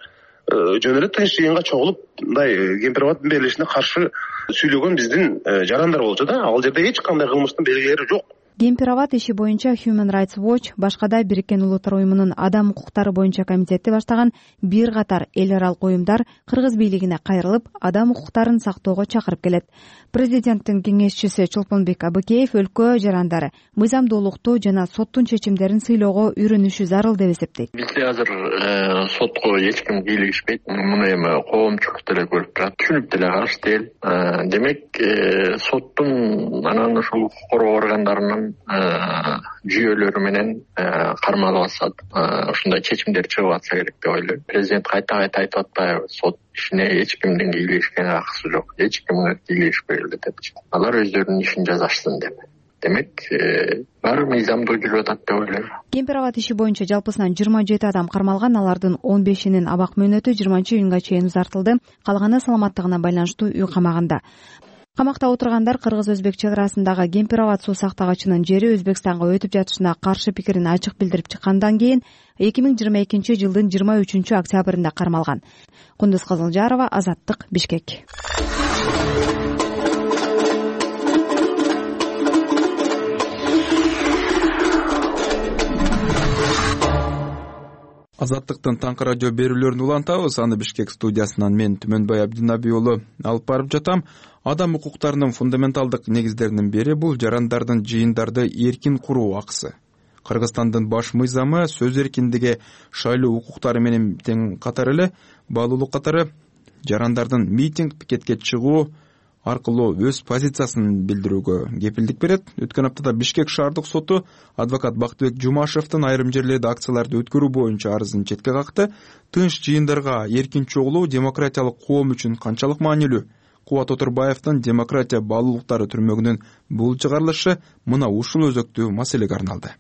жөн эле тынч жыйынга чогулуп мындай кемпир абаддын берилишине каршы сүйлөгөн биздин жарандар болчу да. Ал жерде эч кандай кылмыштын белгилери жок. Кемпир абад иши боюнча Human Rights Watch, башкада Бириккен Улуттар уюмунун адам укуктары боюнча комитети баштаган бир катар эл аралык уюмдар кыргыз бийлигине кайрылып, адам укуктарын сактоого чакырып келет. Президенттин кеңешчиси Чолпонбек Абыкеев өлкө жарандары мыйзамдуулукту жана соттун чечимдерин сыйлоого үйрөнүшү зарыл деп эсептейт. Бизде азыр сотко эч ким кийлигишпейт. Муну эми коомчулук деле көрүп турат, түшүнүп деле карашты эл. Демек соттун анан ушул укук коргоо органдарынын жүйөлөрү менен кармалып атышат. Ушундай чечимдер чыгып атса керек деп ойлойм. Президент кайта айтып атпайбы, сот ишине эч кимдин кийлигишкенге акысы жок, эч кимге кийлигишпейли депчи. Алар өздөрүнүн ишин жазашсын деп. Демек, баары мыйзамдуу жүрүп атат деп ойлойм. Кемпир абад иши боюнча жалпысынан 27 адам кармалган, алардын 15-инин абак мөөнөтү 20-июнга чейин узартылды. Калганы саламаттыгына байланыштуу үй камагында. Камакта отургандар кыргыз-өзбек чек арасындагы Кемпир абад суу сактагычынын жери Өзбекстанга өтүп жатышына каршы пикирин ачык билдирип чыккандан кийин 2022 жылдын 23 октябрында кармалган. Кундуз Кызылжарова, Азаттык, Бишкек. Азаттыктын таңкы радио берүүлөрүн улантабыз. Аны Бишкек студиясынан мен Түмөнбай Абдынаби уулу алып барып жатам. Адам укуктарынын фундаменталдык негиздеринин бири бул жарандардын жыйындарды эркин куруу акысы. Кыргызстандын баш мыйзамы сөз эркиндиги, шайлоо укуктары менен тең катар эле баалуулук катары жарандардын митинг, пикетке чыгуу аркылуу өз позициясын билдирүүгө кепилдик берет. Өткөн аптада Бишкек шаардык соту адвокат Бактыбек Жумашевдин айрым жерлерде акцияларды өткөрүү боюнча арызын четке какты. Тынч жыйындарга эркин чогулуу демократиялык коом үчүн канчалык маанилүү? Кубат Отурбаевдин демократия баалуулуктары түрмөгүнүн бул чыгарылышы мына ушул өзөктүү маселеге арналды.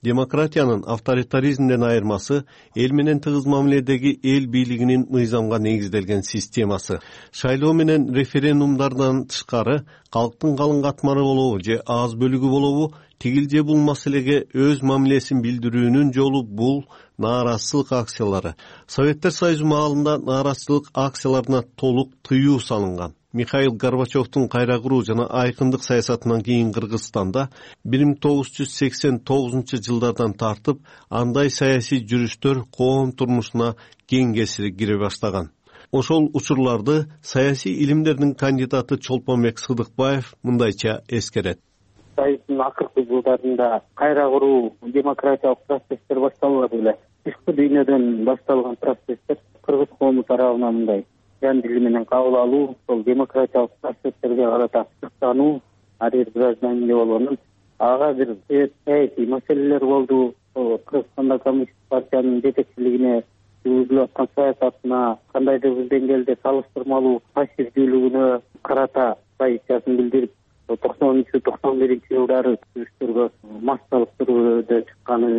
Демократиянын авторитаризмден айырмасы эл менен тыгыз мамиледеги эл бийлигинин мыйзамга негизделген системасы. Шайлоо менен референдумдардан тышкары калктын калың катмары болобу же аз бөлүгү болобу, тигил же бул маселеге өз мамилесин билдирүүнүн жолу бул нааразычылык акциялары. Советтер Союзу маалында нааразычылык акцияларына толук тыюу салынган. Михаил Горбачевдун кайра куруу жана айкындык саясатынан кийин Кыргызстанда 1989-жылдардан тартып андай саясий жүрүштөр коом турмушуна кең кесири кире баштаган. Ошол учурларды саясий илимдердин кандидаты Чолпонбек Сыдыкбаев мындайча эскерет. Союздун акыркы жылдарында кайра куруу демократиялык процесстер башталбады эле. Тышкы дүйнөдөн башталган процесстер кыргыз коому тарабынан мындай жан дили менен кабыл алуу, сол демократиялык процесстерге карата сыктануу, ар бир гражданинге болгон ага бир саясий маселелер болду. Кыргызстанда коммунисттик партиянын жетекчилигине жүргүзүлүп аткан саясатына, кандайдыр бир деңгээлде салыштырмалуу пассивдүүлүгүнө карата позициясын билдирип, 90-91-жылдары жүрүштөргө массалык түрдө чыкканы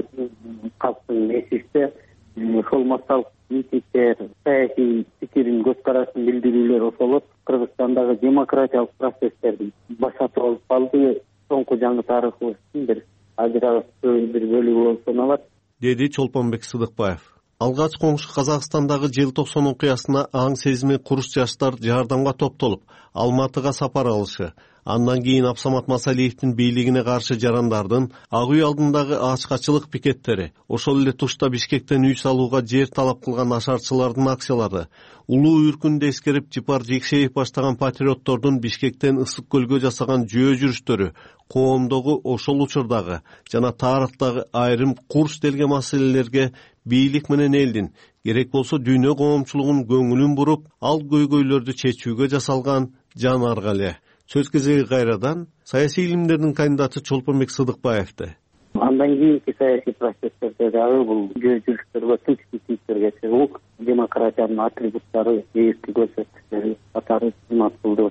калктын эсибизде. Ошол массалык митингдер, саясий пикирин, көз карашын билдирүүлөр ошол Кыргызстандагы демократиялык процесстердин башаты болуп калды. Соңку жаңы тарыхыбыздын бир ажырагычтуу бир бөлүгү болуп саналат, деди Чолпонбек Сыдыкбаев. Алгач коңшу Казакстандагы желтоқсон окуясына аң сезими куруш жаштар жардамга топтолуп, Алматыга сапар алышы, андан кийин Абсамат Масалиевдин бийлигине каршы жарандардын Ак үй алдындагы ачкачылык пикеттери, ошол эле тушта Бишкектен үй салууга жер талап кылган ашарчылардын акциялары, улуу үркүндү эскерип Жипар Жекшеев баштаган патриоттордун Бишкектен Ысык көлгө жасаган жөө жүрүштөрү, коомдогу ошол учурдагы жана тарыхтагы айрым курч делген маселелерге бийлик менен элдин, керек болсо дүйнө коомчулугунун көңүлүн буруп, ал көйгөйлөрдү чечүүгө жасалган жан арга эле. Сөз кезеги кайрадан саясий илимдердин кандидаты Чолпонбек Сыдыкбаевди. Андан кийинки саясий процесстерде дагы бул жөө жүрүштөргө, тынч митингтерге чыгуу демократиянын атрибуттары, эски көрсөткүчтөрү катары кызмат кылды.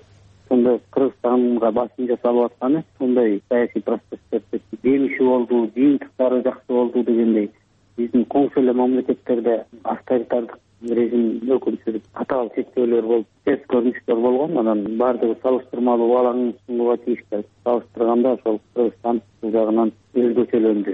Сонда Кыргызстанга басым жасалып атканы сондай саясий процесстерде жемиши болду, жыйынтыктары жакшы болду дегендей. Биздин коңшу эле мамлекеттерде авторитардык режим өкүмсүзүп катаал чектөөлөр болуп, терс көрүнүштөр болгон. Анан баардыгы салыштырмалуу балаңын сунууга тийиштүү. Салыштырганда ошол Кыргызстан бул жагынан өзгөчөлөндү.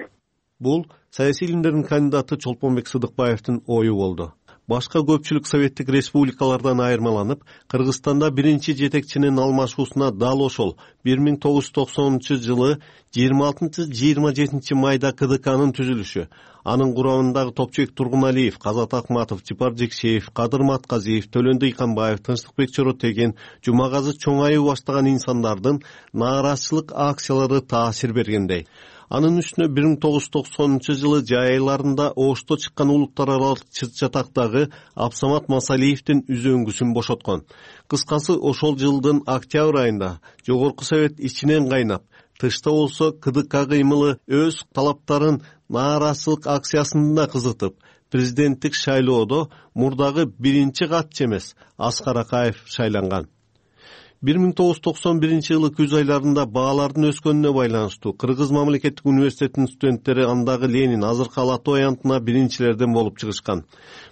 Бул саясий илимдердин кандидаты Чолпонбек Сыдыкбаевдин ою болду. Башка көпчүлүк советтик республикалардан айырмаланып, Кыргызстанда биринчи жетекчинин алмашуусуна дал ошол 1990-жылы 26-27 майда КДКнын түзүлүшү, анын курамындагы Топчек Тургуналиев, Казат Акматов, Жипар Жекшеев, Кадыр Матказиев, Төлөн Дыйканбаев, Тынчтыкбек Чоротеген, Жумагазы Чоңаев баштаган инсандардын нааразычылык акциялары таасир бергендей. Анын үстүнө 1990-жылы жай айларында Ошто чыккан улуттар аралык чатактагы Абсамат Масалиевдин үзөңгүсүн бошоткон. Кыскасы ошол жылдын октябрь айында Жогорку Совет ичинен кайнап, тышта болсо КДК кыймылы өз талаптарын нааразычылык акциясында кызытып, президенттик шайлоодо мурдагы биринчи катчы эмес Аскар Акаев шайланган. 1991-жылы күз айларында баалардын өскөнүнө байланыштуу Кыргыз мамлекеттик университетинин студенттери андагы Ленин, азыркы Ала Тоо аянтына биринчилерден болуп чыгышкан.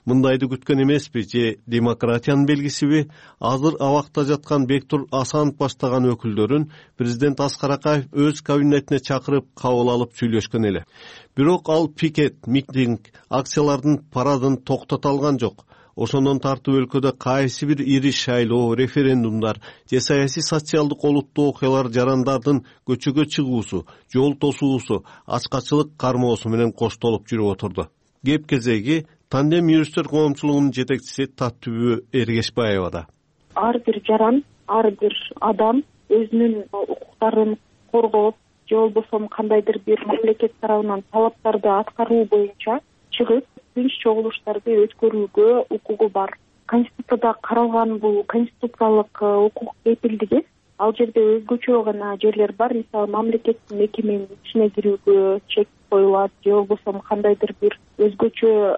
Мындайды күткөн эмеспи же демократиянын белгисиби? Азыр абакта жаткан Бектур Асанов баштаган өкүлдөрүн президент Аскар Акаев өз кабинетине чакырып кабыл алып сүйлөшкөн эле. Бирок ал пикет, митинг, акциялардын парадын токтото алган жок. Ошондон тартып өлкөдө кайсы бир ири шайлоо, референдумдар же саясий социалдык олуттуу окуялар жарандардын көчөгө чыгуусу, жол тосуусу, ачкачылык кармоосу менен коштолуп жүрүп отурду. Кеп кезеги Тандем юристтер коомчулугунун жетекчиси Таттүбү Эргешбаевада. Ар бир жаран, ар бир адам өзүнүн укуктарын коргоп, же болбосо кандайдыр бир мамлекет тарабынан талаптарды аткаруу боюнча чыгып, тынч чогулуштарды өткөрүүгө укугу бар. Конституцияда каралган бул конституциялык укук кепилдиги ал жерде өзгөчө гана жерлер бар. Мисалы, мамлекеттин мекеменин ичине кирүүгө чек коюлат, же болбосо кандайдыр бир өзгөчө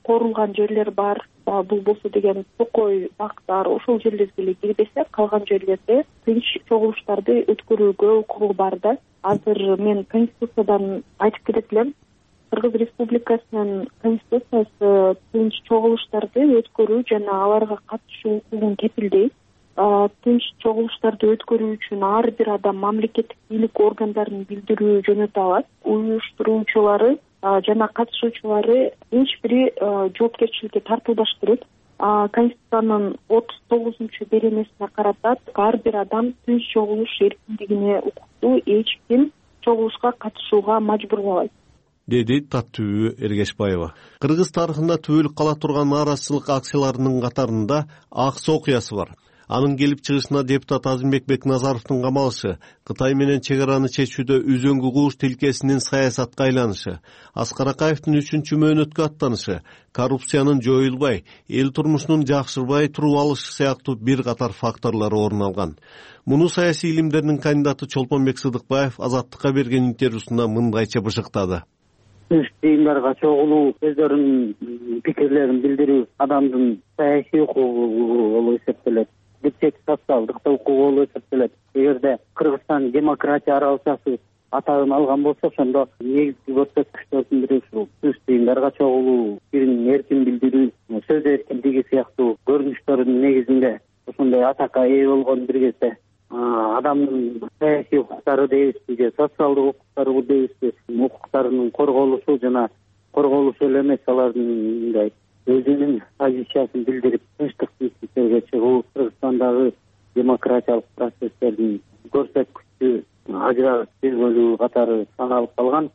корулган жерлер бар. Бул болсо деген токой, бактар, ошол жерлерге эле кирбесе, калган жерлерде тынч чогулуштарды өткөрүүгө укугу бар да. Азыр мен конституциядан айтып кетет элем. Кыргыз Республикасынын конституциясы тынч чогулуштарды өткөрүү жана аларга катышуу укугун кепилдейт. Тынч чогулуштарды өткөрүү үчүн ар бир адам мамлекеттик бийлик органдарын билдирүү жөнөтө алат. Уюштуруучулары жана катышуучулары эч бири жоопкерчиликке тартылбаш керек. Конституциянын 39 беренесине карата ар бир адам тынч чогулуш эркиндигине укуктуу, эч ким чогулушка катышууга мажбурлабайт, деди Таттүбү Эргешбаева. Кыргыз тарыхында түбөлүк кала турган нааразычылык акцияларынын катарында Аксы окуясы бар. Анын келип чыгышына депутат Азимбек Бекназаровдун камалышы, Кытай менен чек араны чечүүдө үзөңгү кууш тилкесинин саясатка айланышы, Аскар Акаевдин 3-чү мөөнөткө аттанышы, коррупциянын жоюлбай, эл турмушунун жакшырбай туруп алышы сыяктуу бир катар факторлор орун алган. Муну саясий илимдердин кандидаты Чолпонбек Сыдыкбаев Азаттыкка берген интервьюсунда мындайча бышыктады. Тыйымдарга чогулуу, өздөрүнүн пикирлерин билдирүү адамдын саясий укугу болуп эсептелет. Бирчек социалдык укугу болуп эсептелет. Эгерде Кыргызстан демократия аралашасы атагын алган болсо, ошондо негизги көрсөткүчтөрдүн бири ушул тыйымдарга чогулуу, пикирин эркин билдирүү, сөз эркиндиги сыяктуу көрүнүштөрдүн негизинде ошондой атакка ээ болгон бир кезде адамдын саясий укуктары дейбизби же социалдык укуктары дейбизби, укуктарынын корголушу жана корголушу эле эмес, алардын мындай өзүнүн позициясын билдирип тынчтык бийликтерге чыгуу Кыргызстандагы демократиялык процесстердин көрсөткүчү ажырагыс бир бөлүгү катары саналып калган,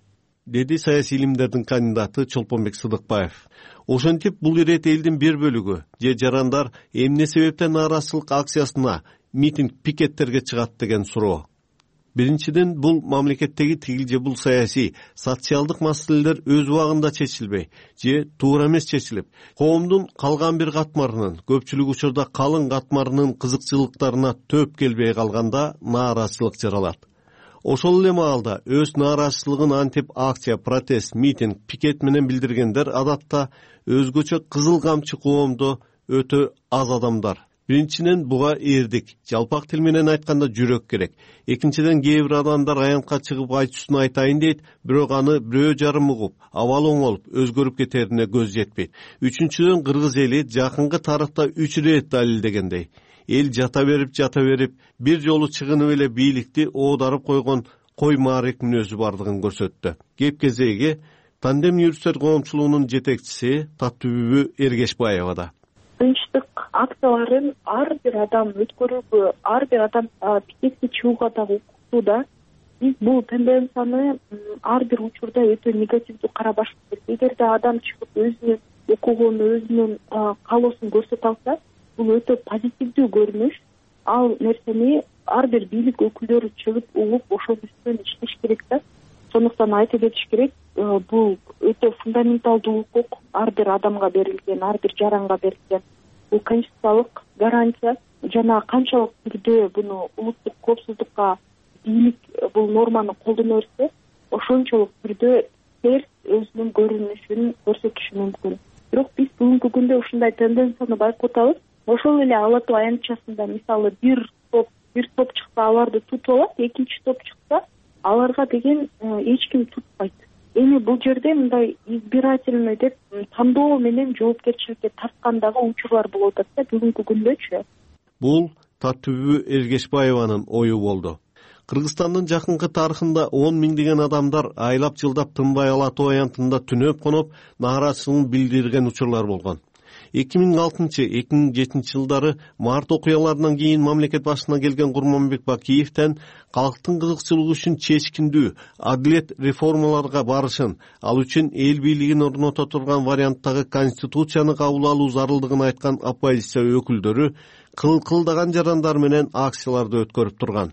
деди саясий илимдердин кандидаты Чолпонбек Сыдыкбаев. Ошентип бул ирет элдин бир бөлүгү же жарандар эмне себептен нааразычылык акциясына, митинг, пикеттерге чыгат деген суроо. Биринчиден, бул мамлекеттеги тигил же бул саясий, социалдык маселелер өз убагында чечилбей же туура эмес чечилип, коомдун калган бир катмарынын, көпчүлүк учурда калың катмарынын кызыкчылыктарына төп келбей калганда нааразычылык жаралат. Ошол эле маалда өз нааразычылыгын антип акция, протест, митинг, пикет менен билдиргендер адатта өзгөчө кызыл камчы коомдо өтө аз адамдар. Биринчиден, буга эрдик, жалпак тил менен айтканда жүрөк керек. Экинчиден, кээ бир адамдар аянтка чыгып айтуусун айтайын дейт, бирок аны бирөө жарым угуп, абалы оңолуп, өзгөрүп кетерине көз жетпейт. Үчүнчүдөн, кыргыз эли жакынкы тарыхта 3 ирет далилдегендей, эл жата берип, бир жолу чыгынып эле бийликти оодарып койгон кой маарек мүнөзү бардыгын көрсөттү. Кеп кезеги Тандем юристтер коомчулугунун жетекчиси Таттүбү Эргешбаевада. Тынчтык акцияларын ар бир адам өткөрүүгө, ар бир адам пикетке чыгууга дагы укуктуу да. Биз бул тенденцияны ар бир учурда өтө негативдүү карабаш керек. Эгерде адам чыгып өзүнүн укугун, өзүнүн каалоосун көрсөтө алса, бул өтө позитивдүү көрүнүш. Ал нерсени ар бир бийлик өкүлдөрү чыгып угуп, ошонун үстүнөн иштеш керек да. Сондуктан айтып кетиш керек, бул өтө фундаменталдуу укук, ар бир адамга берилген, ар бир жаранга берилген. Бул конституциялык гарантия жана канчалык түрдө буну улуттук коопсуздукка бийлик бул норманы колдоно берсе, ошончолук түрдө терс өзүнүн көрүнүшүн көрсөтүшү мүмкүн. Бирок биз бүгүнкү күндө ушундай тенденцияны байкотабыз. Ошол эле Ала Тоо аянтчасында мисалы бир топ чыкса, аларды тутуп алат, экинчи топ чыкса, аларга деген эч ким тутпайт. Эми бул жерде мындай избирательный деп тандоо менен жоопкерчиликке тарткандагы учурлар болуп атат да бүгүнкү күндөчү. Бул Таттүбү Эргешбаеванын ою болду. Кыргызстандын жакынкы тарыхында 10 миңдеген адамдар айлап жылдап тынбай Ала Тоо аянтында түнөп коноп нааразычылыгын билдирген учурлар болгон. 2006-2007 жылдары март окуяларынан кийин мамлекет башына келген Курманбек Бакиевден калктын кызыкчылыгы үчүн чечкиндүү адилет реформаларга барышын, ал үчүн эл бийлигин орното турган варианттагы конституцияны кабыл алуу зарылдыгын айткан оппозиция өкүлдөрү кылдаган жарандар менен акцияларды өткөрүп турган.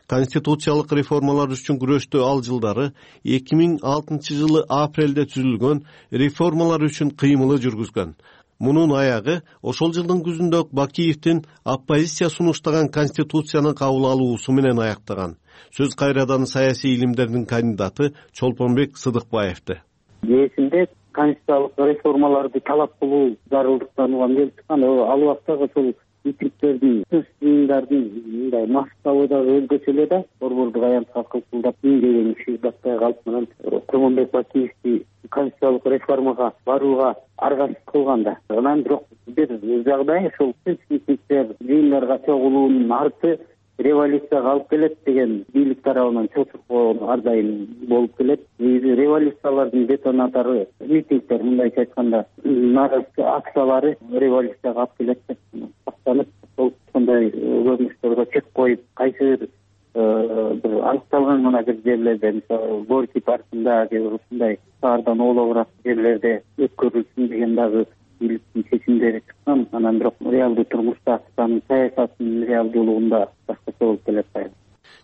Конституциялык реформалар үчүн күрөштө ал жылдары 2006 жылы апрелде түзүлгөн реформалар үчүн кыймылы жүргүзгөн. Мунун аягы ошол жылдын күзүндө Бакиевдин оппозиция сунуштаган конституцияны кабыл алуусу менен аяктаган. Сөз кайрадан саясий илимдердин кандидаты Чолпонбек Сыдыкбаевди. Эсимде конституциялык реформаларды талап кылуу зарылдыктанууга келип чыккан. Ал убактагы ошол митингдердин тыс жыйындардын мындай масштабы дагы өзгөчө эле да. Борбордук аянтка кылкылдап деген иши батпай калып анан Курманбек Бакиевди конституциялык реформага барууга аргасыз кылганда. Анан бирок бир жагдай ушул митингдер, жыйындарга чогулуунун арты революцияга алып келет деген бийлик тарабынан чочуркоо ар дайым болуп келет. Революциялардын детонатору митингдер, мындайча айтканда нааразычылык акциялары революцияга алып келет деп тактанып, ошондой көрүнүштөргө чек коюп, кайсы бир аныкталган гана бир жерлерде, мисалы Горький паркында же ушундай шаардан оолобураак жерлерде өткөрүлсүн деген дагы бийликтин чечимдери чыккан. Анан бирок реалдуу турмушта саясаттын реалдуулугунда башкача болуп келет,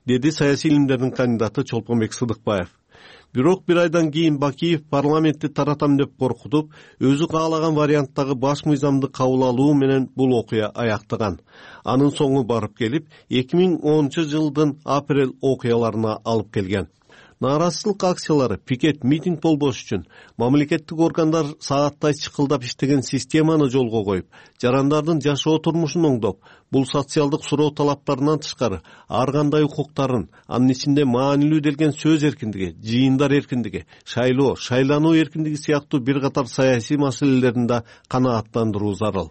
деди саясий илимдердин кандидаты Чолпонбек Сыдыкбаев. Бирок бир айдан кийин Бакиев парламентти таратам деп коркутуп, өзү каалаган варианттагы баш мыйзамды кабыл алуу менен бул окуя аяктаган. Анын соңу барып келип 2010-жылдын апрель окуяларына алып келген. Нааразычылык акциялары, пикет, митинг болбош үчүн мамлекеттик органдар сааттай чыкылдап иштеген системаны жолго коюп, жарандардын жашоо турмушун оңдоп, бул социалдык суроо талаптарынан тышкары ар кандай укуктарын, анын ичинде маанилүү делген сөз эркиндиги, жыйындар эркиндиги, шайлоо, шайлануу эркиндиги сыяктуу бир катар саясий маселелерин да канааттандыруу зарыл.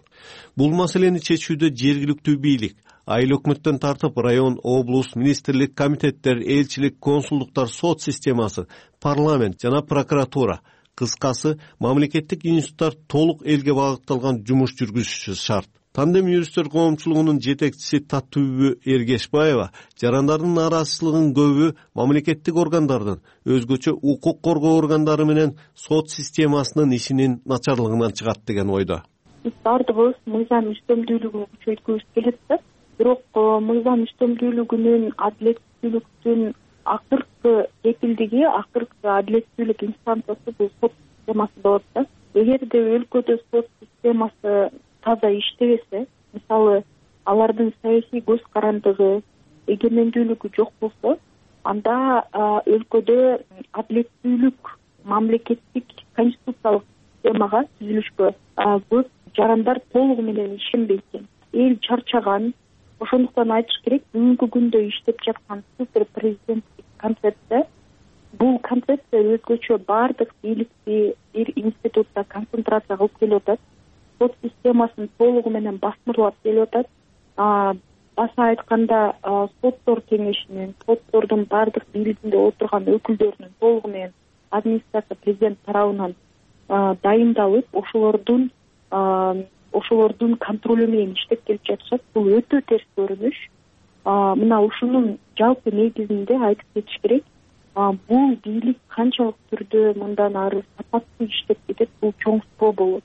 Бул маселени чечүүдө жергиликтүү бийлик, айыл өкмөттөн тартып район, облус, министрлик, комитеттер, элчилик, консулдуктар, сот системасы, парламент жана прокуратура, кыскасы мамлекеттик институттар толук элге багытталган жумуш жүргүзүшү шарт. Тандем юристтер коомчулугунун жетекчиси Таттүбү Эргешбаева жарандардын нааразычылыгынын көбү мамлекеттик органдардын, өзгөчө укук коргоо органдары менен сот системасынын ишинин начарлыгынан чыгат деген ойдо. Биз баардыгыбыз мыйзам үстөмдүүлүгүн күчөйткүбүз келет да. Бирок мыйзам үстөмдүүлүгүнүн, адилеттүүлүктүн акыркы кепилдиги, акыркы адилеттүүлүк инстанциясы бул сот системасы болот да. Эгерде өлкөдө сот системасы таза иштебесе, мисалы алардын саясий көз карандыгы, эгемендүүлүгү жок болсо, анда өлкөдө адилеттүүлүк, мамлекеттик конституциялык системага, түзүлүшкө көп жарандар толугу менен ишенбейт экен. Эл чарчаган. Ошондуктан айтыш керек, бүгүнкү күндө иштеп жаткан супер президенттик концепция, бул концепция өзгөчө баардык бийликти бир институтта концентрация кылып келип атат. Сот системасын толугу менен басмырлап келип атат. Баса айтканда, соттор кеңешинин, соттордун баардык бийлигинде отурган өкүлдөрүнүн толугу менен администрация президент тарабынан дайындалып, ошолордун контролу менен иштеп келип жатышат. Бул өтө терс көрүнүш. Мына ушунун жалпы негизинде айтып кетиш керек. Бул бийлик канчалык түрдө мындан ары сапаттуу иштеп кетет, бул чоң суроо болот,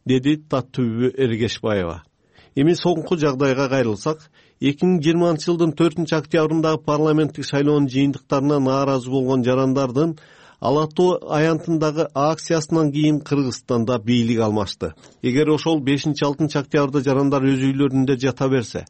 деди Таттүбү Эргешбаева. Эми соңку жагдайга кайрылсак, 2020-жылдын 4-октябрындагы парламенттик шайлоонун жыйынтыктарына нааразы болгон жарандардын Ала Тоо аянтындагы акциясынан кийин Кыргызстанда бийлик алмашты. Эгер ошол 5-6 октябрда жарандар өз үйлөрүндө жата берсе,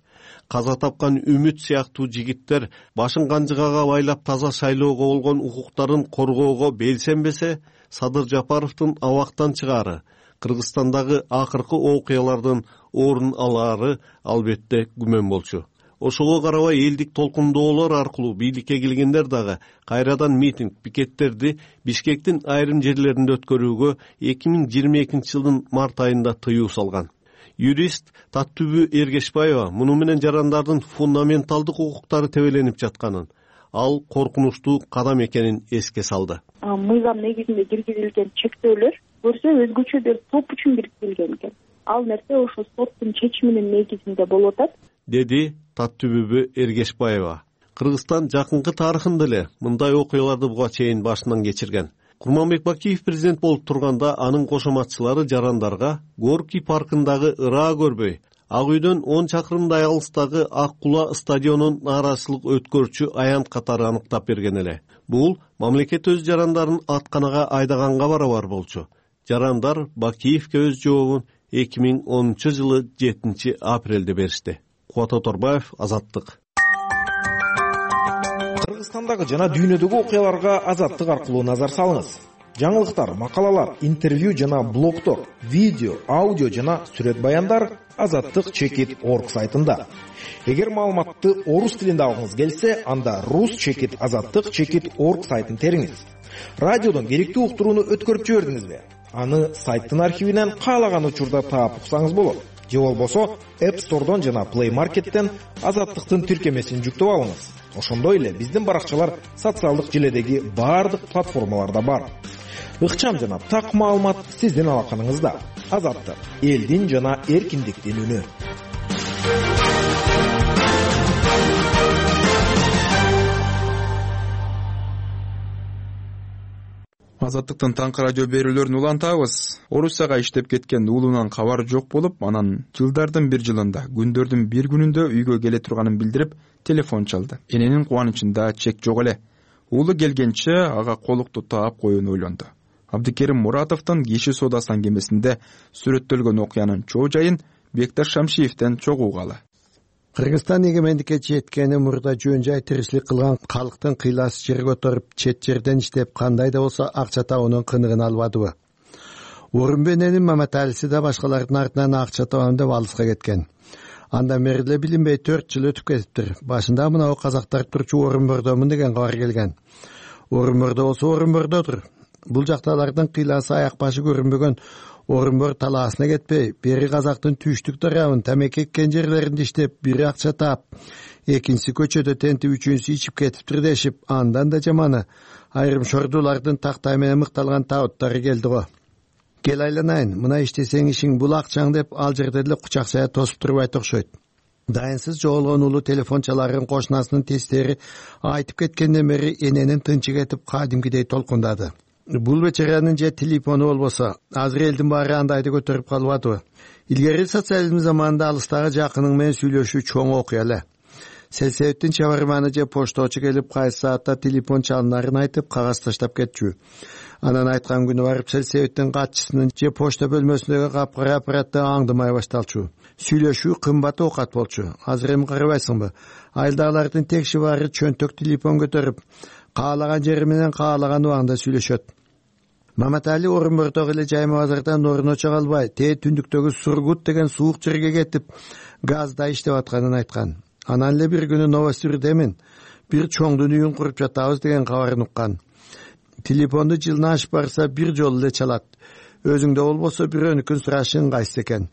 каза тапкан Үмүт сыяктуу жигиттер башын канжыгага байлап таза шайлоого болгон укуктарын коргоого белсенбесе, Садыр Жапаровдун абактан чыгаары, Кыргызстандагы акыркы окуялардын орун алаары албетте күмөн болчу. Ошого карабай элдик толкундоолор аркылуу бийликке келгендер дагы кайрадан митинг, пикеттерди Бишкектин айрым жерлеринде өткөрүүгө 2022-жылдын март айында тыюу салган. Юрист Таттүбү Эргешбаева муну менен жарандардын фундаменталдык укуктары тебеленип жатканын, ал коркунучтуу кадам экенин эске салды. Мыйзам негизинде киргизилген чектөөлөр көрсө өзгөчө бир топ үчүн киргизилген экен. Ал нерсе ошо соттун чечиминин негизинде болуп атат, деди Таттүбү Эргешбаева. Кыргызстан жакынкы тарыхында эле мындай окуяларды буга чейин башынан кечирген. Курманбек Бакиев президент болуп турганда анын кошоматчылары жарандарга Горький паркындагы ыраа көрбөй, Ак үйдөн 10 чакырымдай алыстагы Ак Кула стадионун нааразычылык өткөрчү аянт катары аныктап берген эле. Бул мамлекет өз жарандарын атканага айдаганга барабар болчу. Жарандар Бакиевке өз жообун 2010-жылы 7 апрелде беришти. Кубат Оторбаев, Азаттык. Кыргызстандагы жана дүйнөдөгү окуяларга Азаттык аркылуу назар салыңыз. жаңылыктар, макалалар, интервью жана блогдор, видео, аудио жана сүрөт баяндар azattik.org сайтында. Эгер маалыматты орус тилинде алгыңыз келсе, анда rus.azattik.org сайтын териңиз. Радиодон керектүү уктурууну өткөрүп жибердиңизби? Аны сайттын архивинен каалаган учурда таап уксаңыз болот. Же болбосо App Store'дон жана Play Market'тен Азаттыктын тиркемесин жүктөп алыңыз. Ошондой эле биздин баракчалар социалдык желедеги баардык платформаларда бар. Ыкчам жана так маалымат сиздин алаканыңызда. Азаттык — элдин жана эркиндиктин үнү. Азаттыктын таңкы радио берүүлөрүн улантабыз. Орусияга иштеп кеткен уулунан кабар жок болуп, анан жылдардын бир жылында күндөрдүн бир күнүндө үйгө келе турганын билдирип, телефон чалды. Эненин кубанычында чек жок эле. Уулу келгенче ага колукту таап коюуну ойлонду. Абдикерим Муратовдун киши соодасы аңгемесинде сүрөттөлгөн окуянын чоо жайын Бекташ Шамшиевден чогуу угалы. Кыргызстан эгемендикке жеткени мурда жөн жай тиричилик кылган калктын кыйласы жерге отуруп, чет жерден иштеп, кандай да болсо акча табуунун кыныгын албадыбы? Орунбененин Маматалиси да башкалардын артынан акча табам деп алыска кеткен. Андан бери эле билинбей 4 жыл өтүп кетиптир. Башында мынау казактар турчу Орунбордомун деген кабар келген. Орунбордо болсо Орунбордодур. Бул жакталардын кыйласы аяк башы көрүнбөгөн Орунбор талаасына кетпей, бери казактын түштүк тарабын тамеки эккен жерлеринде иштеп, бири акча таап, экинчиси көчөдө тентип, үчүнчүсү ичип кетиптир дешип, андан да жаманы айрым шордуулардын тактай менен мыкталган табыттары келди го. Кел айланайын, мына иштесең ишиң бул акчаң деп ал жерде эле кучакчая тосуп турбайт окшойт. Дайынсыз жоголгон улуу телефон чаларын кошунасынын тестери айтып кеткенден бери эненин тынчы кетип, кадимкидей толкундады. Бул бечаранын же телефону болбосо, азыр элдин баары андайды көтөрүп калбадыбы? Илгери социализм заманында алыстагы жакының менен сүйлөшүү чоң окуя эле. Сельсоветтин чабарманы же пошточу келип, кайсы саатта телефон чалынарын айтып, кагаз таштап кетчү. Анан айткан күнү барып сельсоветтин катчысынын же почта бөлмөсүндөгү капкара аппаратты аңдымай башталчу. Сүйлөшүү кымбат оокат болчу. Азыр эми карабайсыңбы? Айылдагылардын текши баары чөнтөк телефон көтөрүп, каалаган жери менен каалаган убагында сүйлөшөт. Маматали Орунбордогу эле Жайма базардан орун очо калбай, түндүктөгү Сургут деген суук жерге кетип, газда иштеп атканын айткан. Анан эле бир күнү Новосүрдемин бир чоңдун үйүн куруп жатабыз деген кабарын уккан. Телефонду жылына ашып барса бир жолу эле чалат. Өзүңдө болбосо бирөөнүкүн сурашың кайсы экен.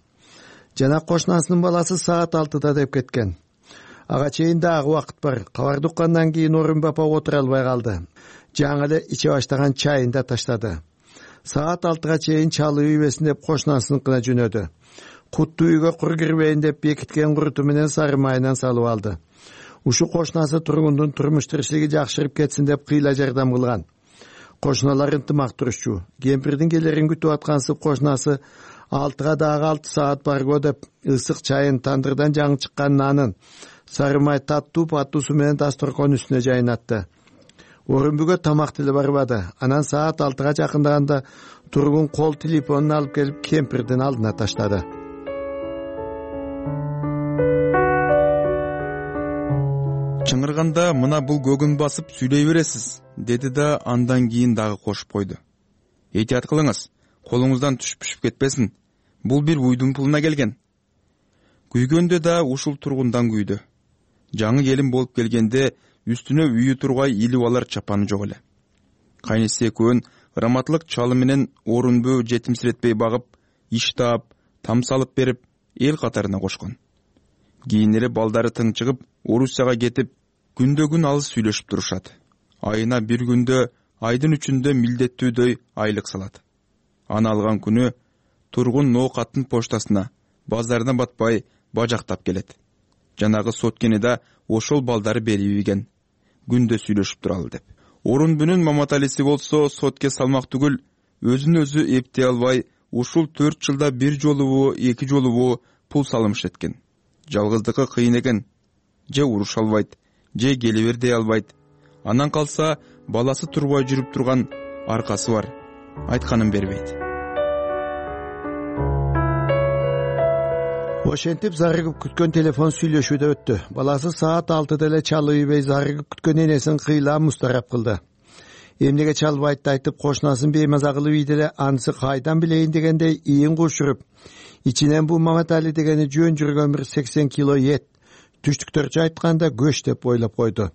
Жана кошунасынын баласы саат 6-да деп кеткен. Ага чейин дагы убакыт бар. Кабарды уккандан кийин Орун бапа отура албай калды. Жаңы эле иче баштаган чайын да таштады. Саат 6-га чейин чалып ийбесин деп кошунасыныкына жөнөдү. Куттуу үйгө кур кирбейин деп бекиткен куруту менен сары майынан салып алды. Ушу кошунасы тургундун турмуш тиричилиги жакшырып кетсин деп кыйла жардам кылган. Кошуналар ынтымак турушчу. Кемпирдин келерин күтүп аткансып кошунасы 6-га дагы 6 саат барго деп ысык чайын, тандырдан жаңы чыккан нанын, сары май таттуу паттуусу менен дасторкон үстүнө жайнатты. Орунбүгө тамак деле барбады. Анан саат 6-га жакындаганда тургун кол телефонун алып келип кемпирдин алдына таштады. Чыңырганда мына бул көгүн басып сүйлөй бересиз, деди да андан кийин дагы кошуп койду. Этият кылыңыз, колуңуздан түшүп кетпесин. Бул бир уйдун пулуна келген. Күйгөндө да ушул тургундан күйдү. Жаңы келин болуп келгенде үстүнө үйү тургай илип алар чапаны жок эле. Кайнысы экөөнүн раматлык чалы менен Орунбу жетимсиретпей багып, иш таап, там салып берип, эл катарына кошкон. Кийин эле балдары тың чыгып, Орусияга кетип, күндө-күн алыс сүйлөшүп турушат. Айына бир күндө, айдын үчүндө милдеттүүдөй айлык салат. Аны алган күнү тургун ноокаттын поштасына, базарына батпай бажактап келет. Жанагы соткени да ошол балдары берип ийген. Күндө сүйлөшүп туралы деп. Орунбүнүн Маматалиси болсо сотке салмак түгүл, өзүн өзү эптей албай, ушул 4 жылда бир жолубу, 2 жолубу пул салымыш эткен. Жалгыздыкы кыйын экен. Же уруша албайт, же келе бер дей албайт. Анан калса баласы турбай жүрүп турган аркасы бар. Айтканын бербейт. Ошентип зарыгып күткөн телефон сүйлөшүүдө өттү. Баласы саат 6-да эле чалып ийбей зарыгып күткөн энесин кыйла мустарап кылды. эмнеге чалбайтты айтып кошунасын беймаза кылып ийди эле анысы кайдан билейин дегендей ийин кушуруп ичинен бул Маматали дегени жөн жүргөн бир 80 кило эт, түштүктөрчө айтканда көч деп ойлоп койду.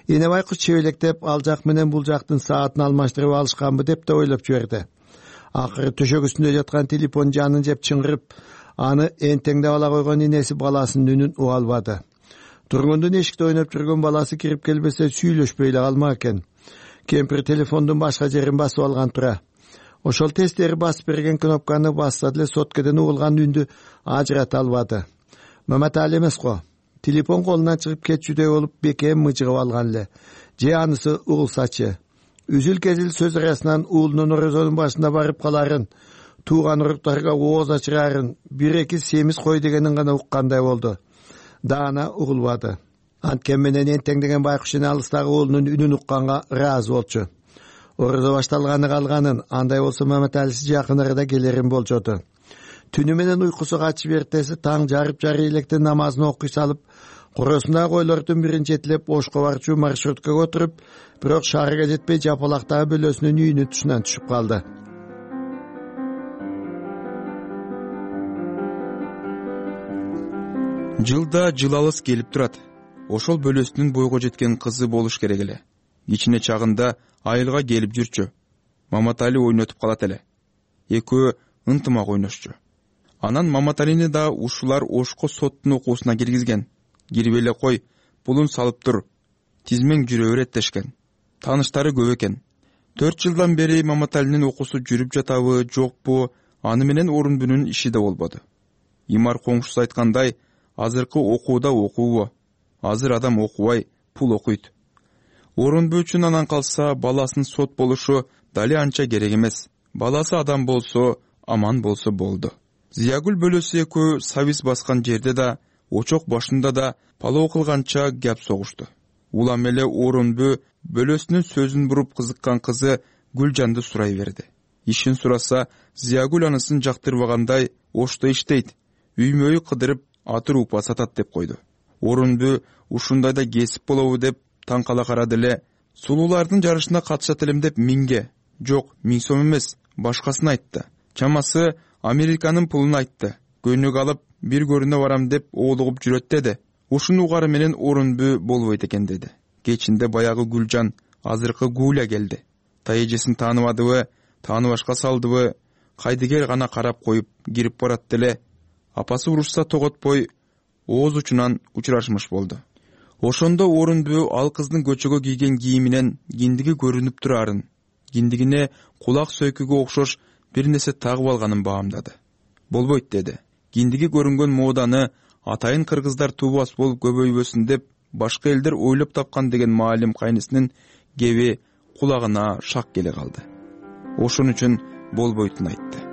Эне байкуш чебелектеп ал жак менен бул жактын саатын алмаштырып алышканбы деп да ойлоп жиберди. Акыры төшөк үстүндө жаткан телефон жанын жеп чыңгырып, аны энтеңдеп ала койгон энеси баласынын үнүн уга албады. Тургундун эшикте ойноп жүргөн баласы кирип келбесе сүйлөшпөй эле калмак экен. Кемпир телефондун башка жерин басып алган тура. Ошол тестери басып берген кнопканы басса деле соткеден угулган үндү ажырата албады. Маматали эмес го. Телефон колунан чыгып кетчүдөй болуп бекем мыжыгып алган эле. Же анысы угулсачы. Үзүл-кезил сөз арасынан уулунун орозонун башында барып каларын, тууган уруктарга ооз ачырарын, 1-2 семиз кой дегенин гана уккандай болду. Даана угулбады. Анткен менен энтеңдеген байкуш эне алыстагы уулунун үнүн укканга ыраазы болчу. Орозо башталганы калганын, андай болсо Маматалиси жакын арада келерин болжоду. Түнү менен уйкусу качып эртеси таң жарып-жарый электен намазын окуй салып, коросундагы койлордун бирин жетилеп Ошко барчу маршруткага отуруп, бирок шаарга жетпей жапалактагы бөлөсүнүн үйүнүн тушунан түшүп калды. Жылда жыл алыс келип турат. Ошол бөлөсүнүн бойго жеткен кызы болуш керек эле. Кичине чагында айылга келип жүрчү. Маматали ойнотуп калат эле. Экөө ынтымак ойношчу. Анан Маматалини да ушулар Ошко соттун окуусуна киргизген. Кирип эле кой, пулун салып тур. Тизмең жүрө берет дешкен. Тааныштары көп экен. 4 жылдан бери Маматалинин окуусу жүрүп жатабы, жокпу, аны менен Орунбүнүн иши да болбоду. Имар коңшусу айткандай, азыркы окууда окуубу. Азыр адам окубай, пул окуйт. Орунбү үчүн анан калса баласынын сот болушу дали анча керек эмес. Баласы адам болсо, аман болсо болду. Зиягүл бөлөсү экөө сабиз баскан жерде да, очок башында да палоо кылганча гап согушту. Улам эле Орунбү бөлөсүнүн сөзүн буруп кызыккан кызы Гүлжанды сурай берди. Ишин сураса, Зиягүл анысын жактырбагандай, Ошто иштейт, үймөй кыдырып атыр упа сатат деп койду. Орунбү ушундайда кесип болобу деп таң кала карады эле. Сулуулардын жарышына катышат элем деп 1000ге, жок 1000 сом эмес, башкасын айтты. Чамасы Американын пулун айтты. Көнүк алып бир көрүнө барам деп оолугуп жүрөт деди. Ушуну угары менен Орунбү болбойт экен деди. Кечинде баягы Гүлжан, азыркы Гуля келди. Тайэжесин тааныбадыбы, тааныбашка салдыбы, кайдыгер гана карап коюп кирип барат деле. Апасы урушса тоготпой ооз учунан учурашмыш болду. Ошондо Орунбү ал кыздын көчөгө кийген кийиминен киндиги көрүнүп турарын, киндигине кулак сөйкүгө окшош бир нерсе тагып алганын баамдады. Болбойт деди. Киндиги көрүнгөн моданы атайын кыргыздар туубас болуп көбөйбөсүн деп башка элдер ойлоп тапкан деген маалим кайнысынын кеби кулагына шак келе калды. Ошон үчүн болбойтун айтты.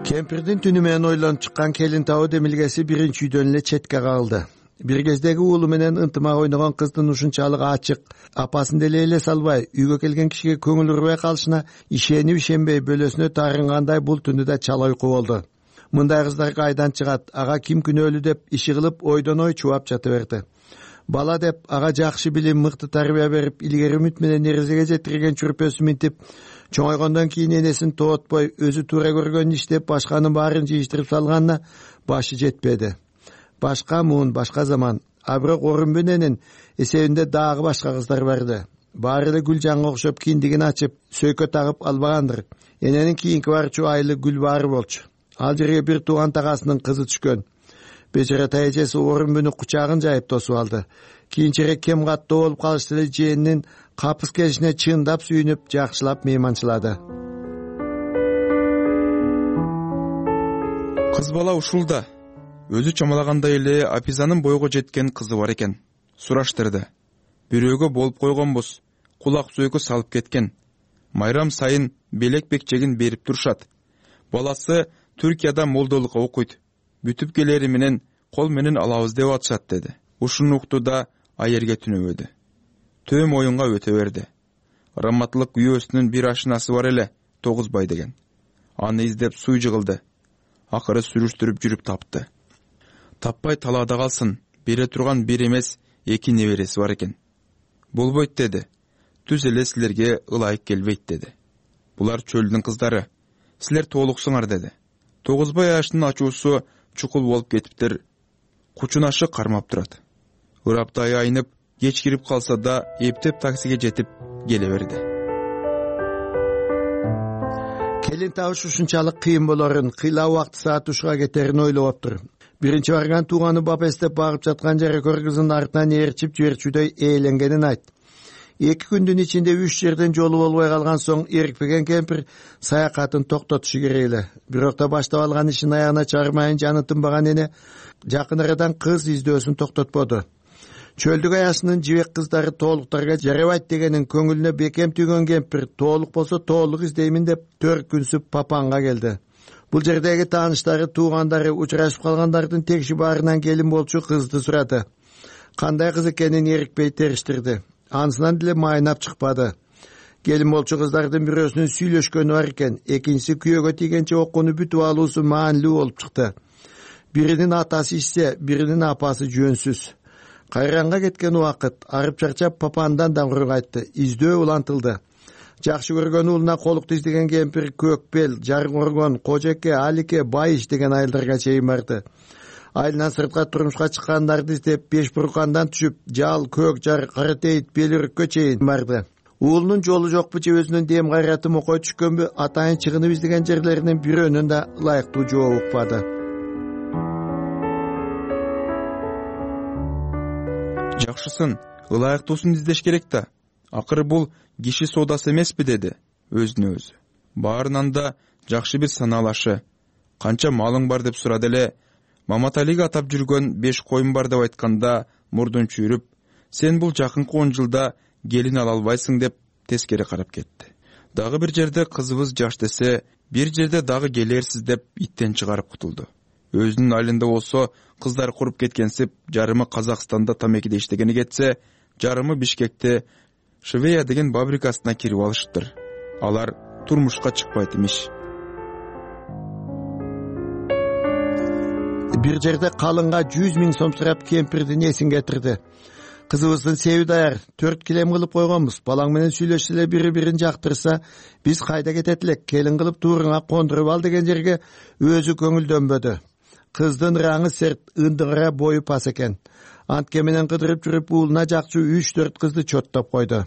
Кемпирдин түнү менен ойлонуп чыккан келин табуу демилгеси биринчи үйдөн эле четке кагылды. Бир кездеги уулу менен ынтымак ойногон кыздын ушунчалык ачык, апасын деле эле салбай, үйгө келген кишиге көңүл урбай калышына ишенип ишенбей бөлөсүнө таарынгандай бул түндү да чала уйку болду. Мындай кыздар кайдан чыгат, ага ким күнөөлүү деп иши кылып ойдон ой чубап жата берди. Бала деп ага жакшы билим, мыкты тарбия берип, илгери үмүт менен эрезеге жетирген чүрпөсү минтип, чоңойгондон кийин энесин тоотпой, өзү туура көргөнүн иштеп, башканын баарын жыйыштырып салганына башы жетпеди. Башка муун, башка заман. А бирок Орунбү эненин эсебинде дагы башка кыздар барды. Баары эле Гүлжанга окшоп киндигин ачып, сөйкө тагып албагандыр. Эненин кийинки барчу айылы Гүлбаары болчу. Ал жерге бир тууган тагасынын кызы түшкөн. Бечара тайэжеси Орунбүнүн кучагын жайып тосуп алды. Кийинчерээк кем каттуу болуп калышты эле жээнинин капыс келишине чындап сүйүнүп, жакшылап мейманчылады. Кыз бала ушулда. Өзү чамалагандай эле Апизанын бойго жеткен кызы бар экен. Сураштырды. Бирөөгө болуп койгонбуз. Кулак сөйкө салып кеткен. Майрам сайын белек бекчегин берип турушат. Баласы Түркияда молдолукка окуйт. Бүтүп келери менен кол менен алабыз деп атышат деди. Ушуну укту да аерге түнөбөдү. Төм оюнга өтө берди. Раматлык үйөөсүнүн бир ашынасы бар эле, Тогузбай деген. Аны издеп суу жыгылды. Акыры сүрүштүрүп жүрүп тапты. Таппай талаада калсын, бере турган бир эмес 2 небереси бар экен. болбойт деди. Түз эле силерге ылайык келбейт деди. Булар чөлдүн кыздары. Силер толуксуңар деди. Тогузбай аштын ачуусу чукул болуп кетиптир. Кучунашы кармап турат. Ыраптай айнып, кеч кирип калса да эптеп таксиге жетип келе берди. Келин табыш ушунчалык кыйын болорун, кыйла убакыт саат ушуга кетерин ойлоп тур. Биринчи барган тууганы бап эстеп багып жаткан жарекор кызын артынан ээрчип жиберчүдөй ээленгенин айт. 2 күндүн ичинде 3 жерден жолу болбой калган соң эрикпеген кемпир саякатын токтотушу керек эле. Бирок да баштап алган ишин аягына чыгармайын жаны тынбаган эне жакын арадан кыз издөөсүн токтотподу. Чөлдүк аясынын жибек кыздары тоолуктарга жарабайт дегенин көңүлүнө бекем түйгөн кемпир тоолук болсо тоолук издеймин деп 4 күнсүп Папанга келди. Бул жердеги тааныштары, туугандары, учурашып калгандардын текши баарынан келин болчу кызды сурады. Кандай кыз экенин эрикпей териштирди. Анысынан деле майнап чыкпады. Келин болчу кыздардын бирөөсүнүн сүйлөшкөнү бар экен, экинчиси күйөөгө тийгенче окууну бүтүп алуусу маанилүү болуп чыкты. Биринин атасы ишсе, биринин апасы жөнсүз. Кайранга кеткен убакыт, арып чарчап Папандан даңгыруу кайтты. Издөө улантылды. Жакшы көргөн уулуна колукту издеген кемпир Көкбел, Жаргоргон, Кожеке, Алике, Байыш деген айылдарга чейин барды. Айылынан сыртка турмушка чыккандарды издеп, Бешбуркандан түшүп, Жал, Көк Жар, Каратейит, Белүрүккө чейин барды. Уулунун жолу жокпу же өзүнүн дем кайраты мокой түшкөнбү, атайын чыгынып издеген жерлеринин бирөөнүн да ылайыктуу жооп укпады. Жакшысын, ылайыктуусун издеш керек да. Акыры бул киши соодасы эмеспи деди өзүнө өзү. Баарынан да жакшы бир санаалашы. Канча малың бар деп сурады эле. Маматалиге атап жүргөн 5 коюм бар деп айтканда мурдун чүйрүп, сен бул жакынкы 10 жылда келин ала албайсың деп тескери карап кетти. Дагы бир жерде кызыбыз жаш десе, бир жерде дагы келерсиз деп иттен чыгарып кутулду. Өзүнүн айылында болсо кыздар куруп кеткенсип, жарымы Казакстанда тамекиде иштегени кетсе, жарымы Бишкекте Швея деген фабрикасына кирип алыштыр. Алар турмушка чыкпайт имиш. Бир жерде калынга 100 000 сом сурап кемпирдин эсин кетирди. Кызыбыздын себи даяр, 4 килем кылып койгонбуз. Балаң менен сүйлөшсө эле бири-бирин жактырса, биз кайда кетет элек, келин кылып тууруңа кондуруп ал деген жерге өзү көңүлдөнбөдү. Кыздын раңы серт, ындыгыра бою пас экен. Антке менен кыдырып жүрүп уулуна жакчу 3-4 кызды чоттоп койду.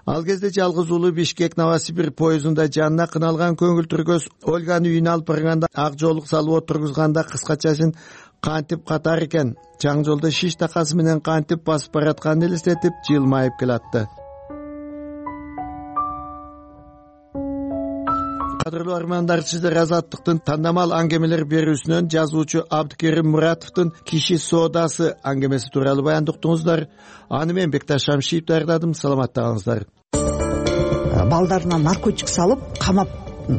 Ал кезде жалгыз уулу Бишкек Новосибир поездунда жанына кыналган көңүл түргөз Ольганы үйүнө алып барганда ак жолук салып отургузганда кыскачасын кантип катар экен. Чаң жолдо шиш такасы менен кантип басып баратканын элестетип жылмайып келатты. Кадырлуу армандар, сиздер Азаттыктын тандамал аңгемелер берүүсүнөн жазуучу Абдыкерим Муратовдун киши соодасы аңгемеси тууралуу баяндыктыңыздар. Аны мен Бекташ Шамшиев даярдадым. Саламатта калыңыздар. Балдарына наркотик салып, камап,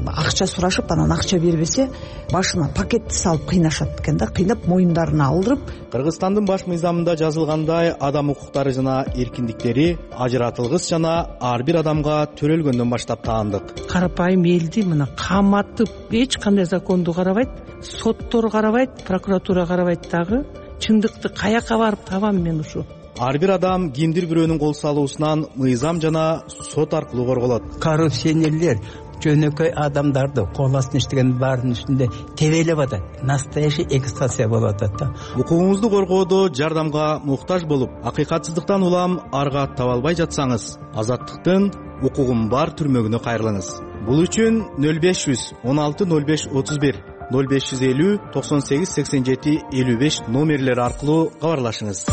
акча сурашып, анан акча бербесе, башына пакетти салып кыйнашат экен да, кыйнап моюндарына алдырып. Кыргызстандын баш мыйзамында жазылгандай, адам укуктары жана эркиндиктери ажыратылгыс жана ар бир адамга төрөлгөндөн баштап таандык. Карапайым элди мына каматып, эч кандай законду карабайт, соттор карабайт, прокуратура карабайт дагы. Чындыкты каяка барып табам мен ушу? Ар бир адам кимдир бирөөнүн кол салуусунан мыйзам жана сот аркылуу корголот. Коррупционерлер жөнөкөй адамдарды кол астына иштеген баардын үстүндө тебелеп атат. Настоящий эксплуатация болуп атат да. Укугуңузду коргоодо жардамга муктаж болуп, акыйкатсыздыктан улам арга таба албай жатсаңыз, Азаттыктын укугум бар түрмөгүнө кайрылыңыз. Бул үчүн 0500 16 05 31 0550 98 87 55 номерлери аркылуу кабарлашыңыз.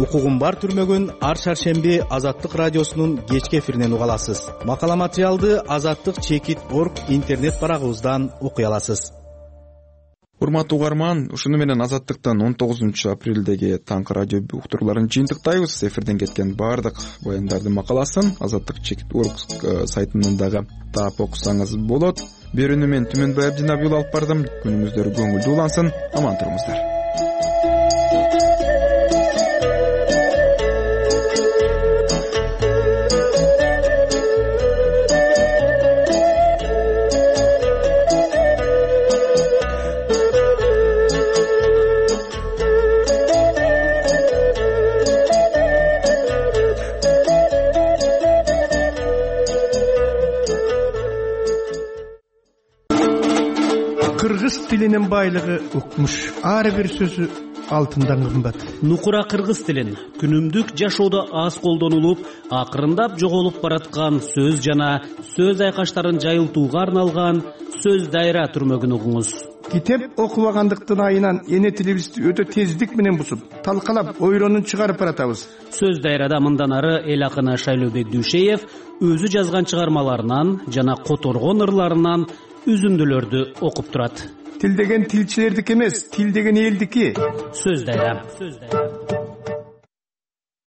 Укугум бар түрмөгүн ар шаршемби Азаттык радиосунун кечки эфиринен уга аласыз. Макала материалды azattik.org интернет барагыбыздан окуй аласыз. Урматтуу угарман, ушуну менен Азаттыктан 19 апрелдеги таңкы радио уктурууларын жыйынтыктайбыз. Эфирден кеткен баардык баяндардын макаласын azattik.org сайтынан дагы таап окусаңыз болот. Берүүнү мен Түмөнбай Абдинабиул алып бардым. Күнүңүздөр көңүлдүү улансын. Аман туруңуздар. тилинин байлыгы укмуш, ар бир сөзү алтындан кымбат. Нукура кыргыз тилин күнүмдүк жашоодо аз колдонулуп, акырындап жоголуп бараткан сөз жана сөз айкаштарын жайылтууга арналган сөз дайра түрмөгүн угуңуз. Китеп окубагандыктын айынан эне тилибизди өтө тездик менен бузуп, талкалап, ойронун чыгарып баратабыз. Сөз дайрада мындан ары эл акыны Шайлообек Дүйшеев өзү жазган чыгармаларынан жана которгон ырларынан үзүндүлөрдү окуп турат. Тил деген тилчилердики эмес, тил деген элдики. Сөз дайра.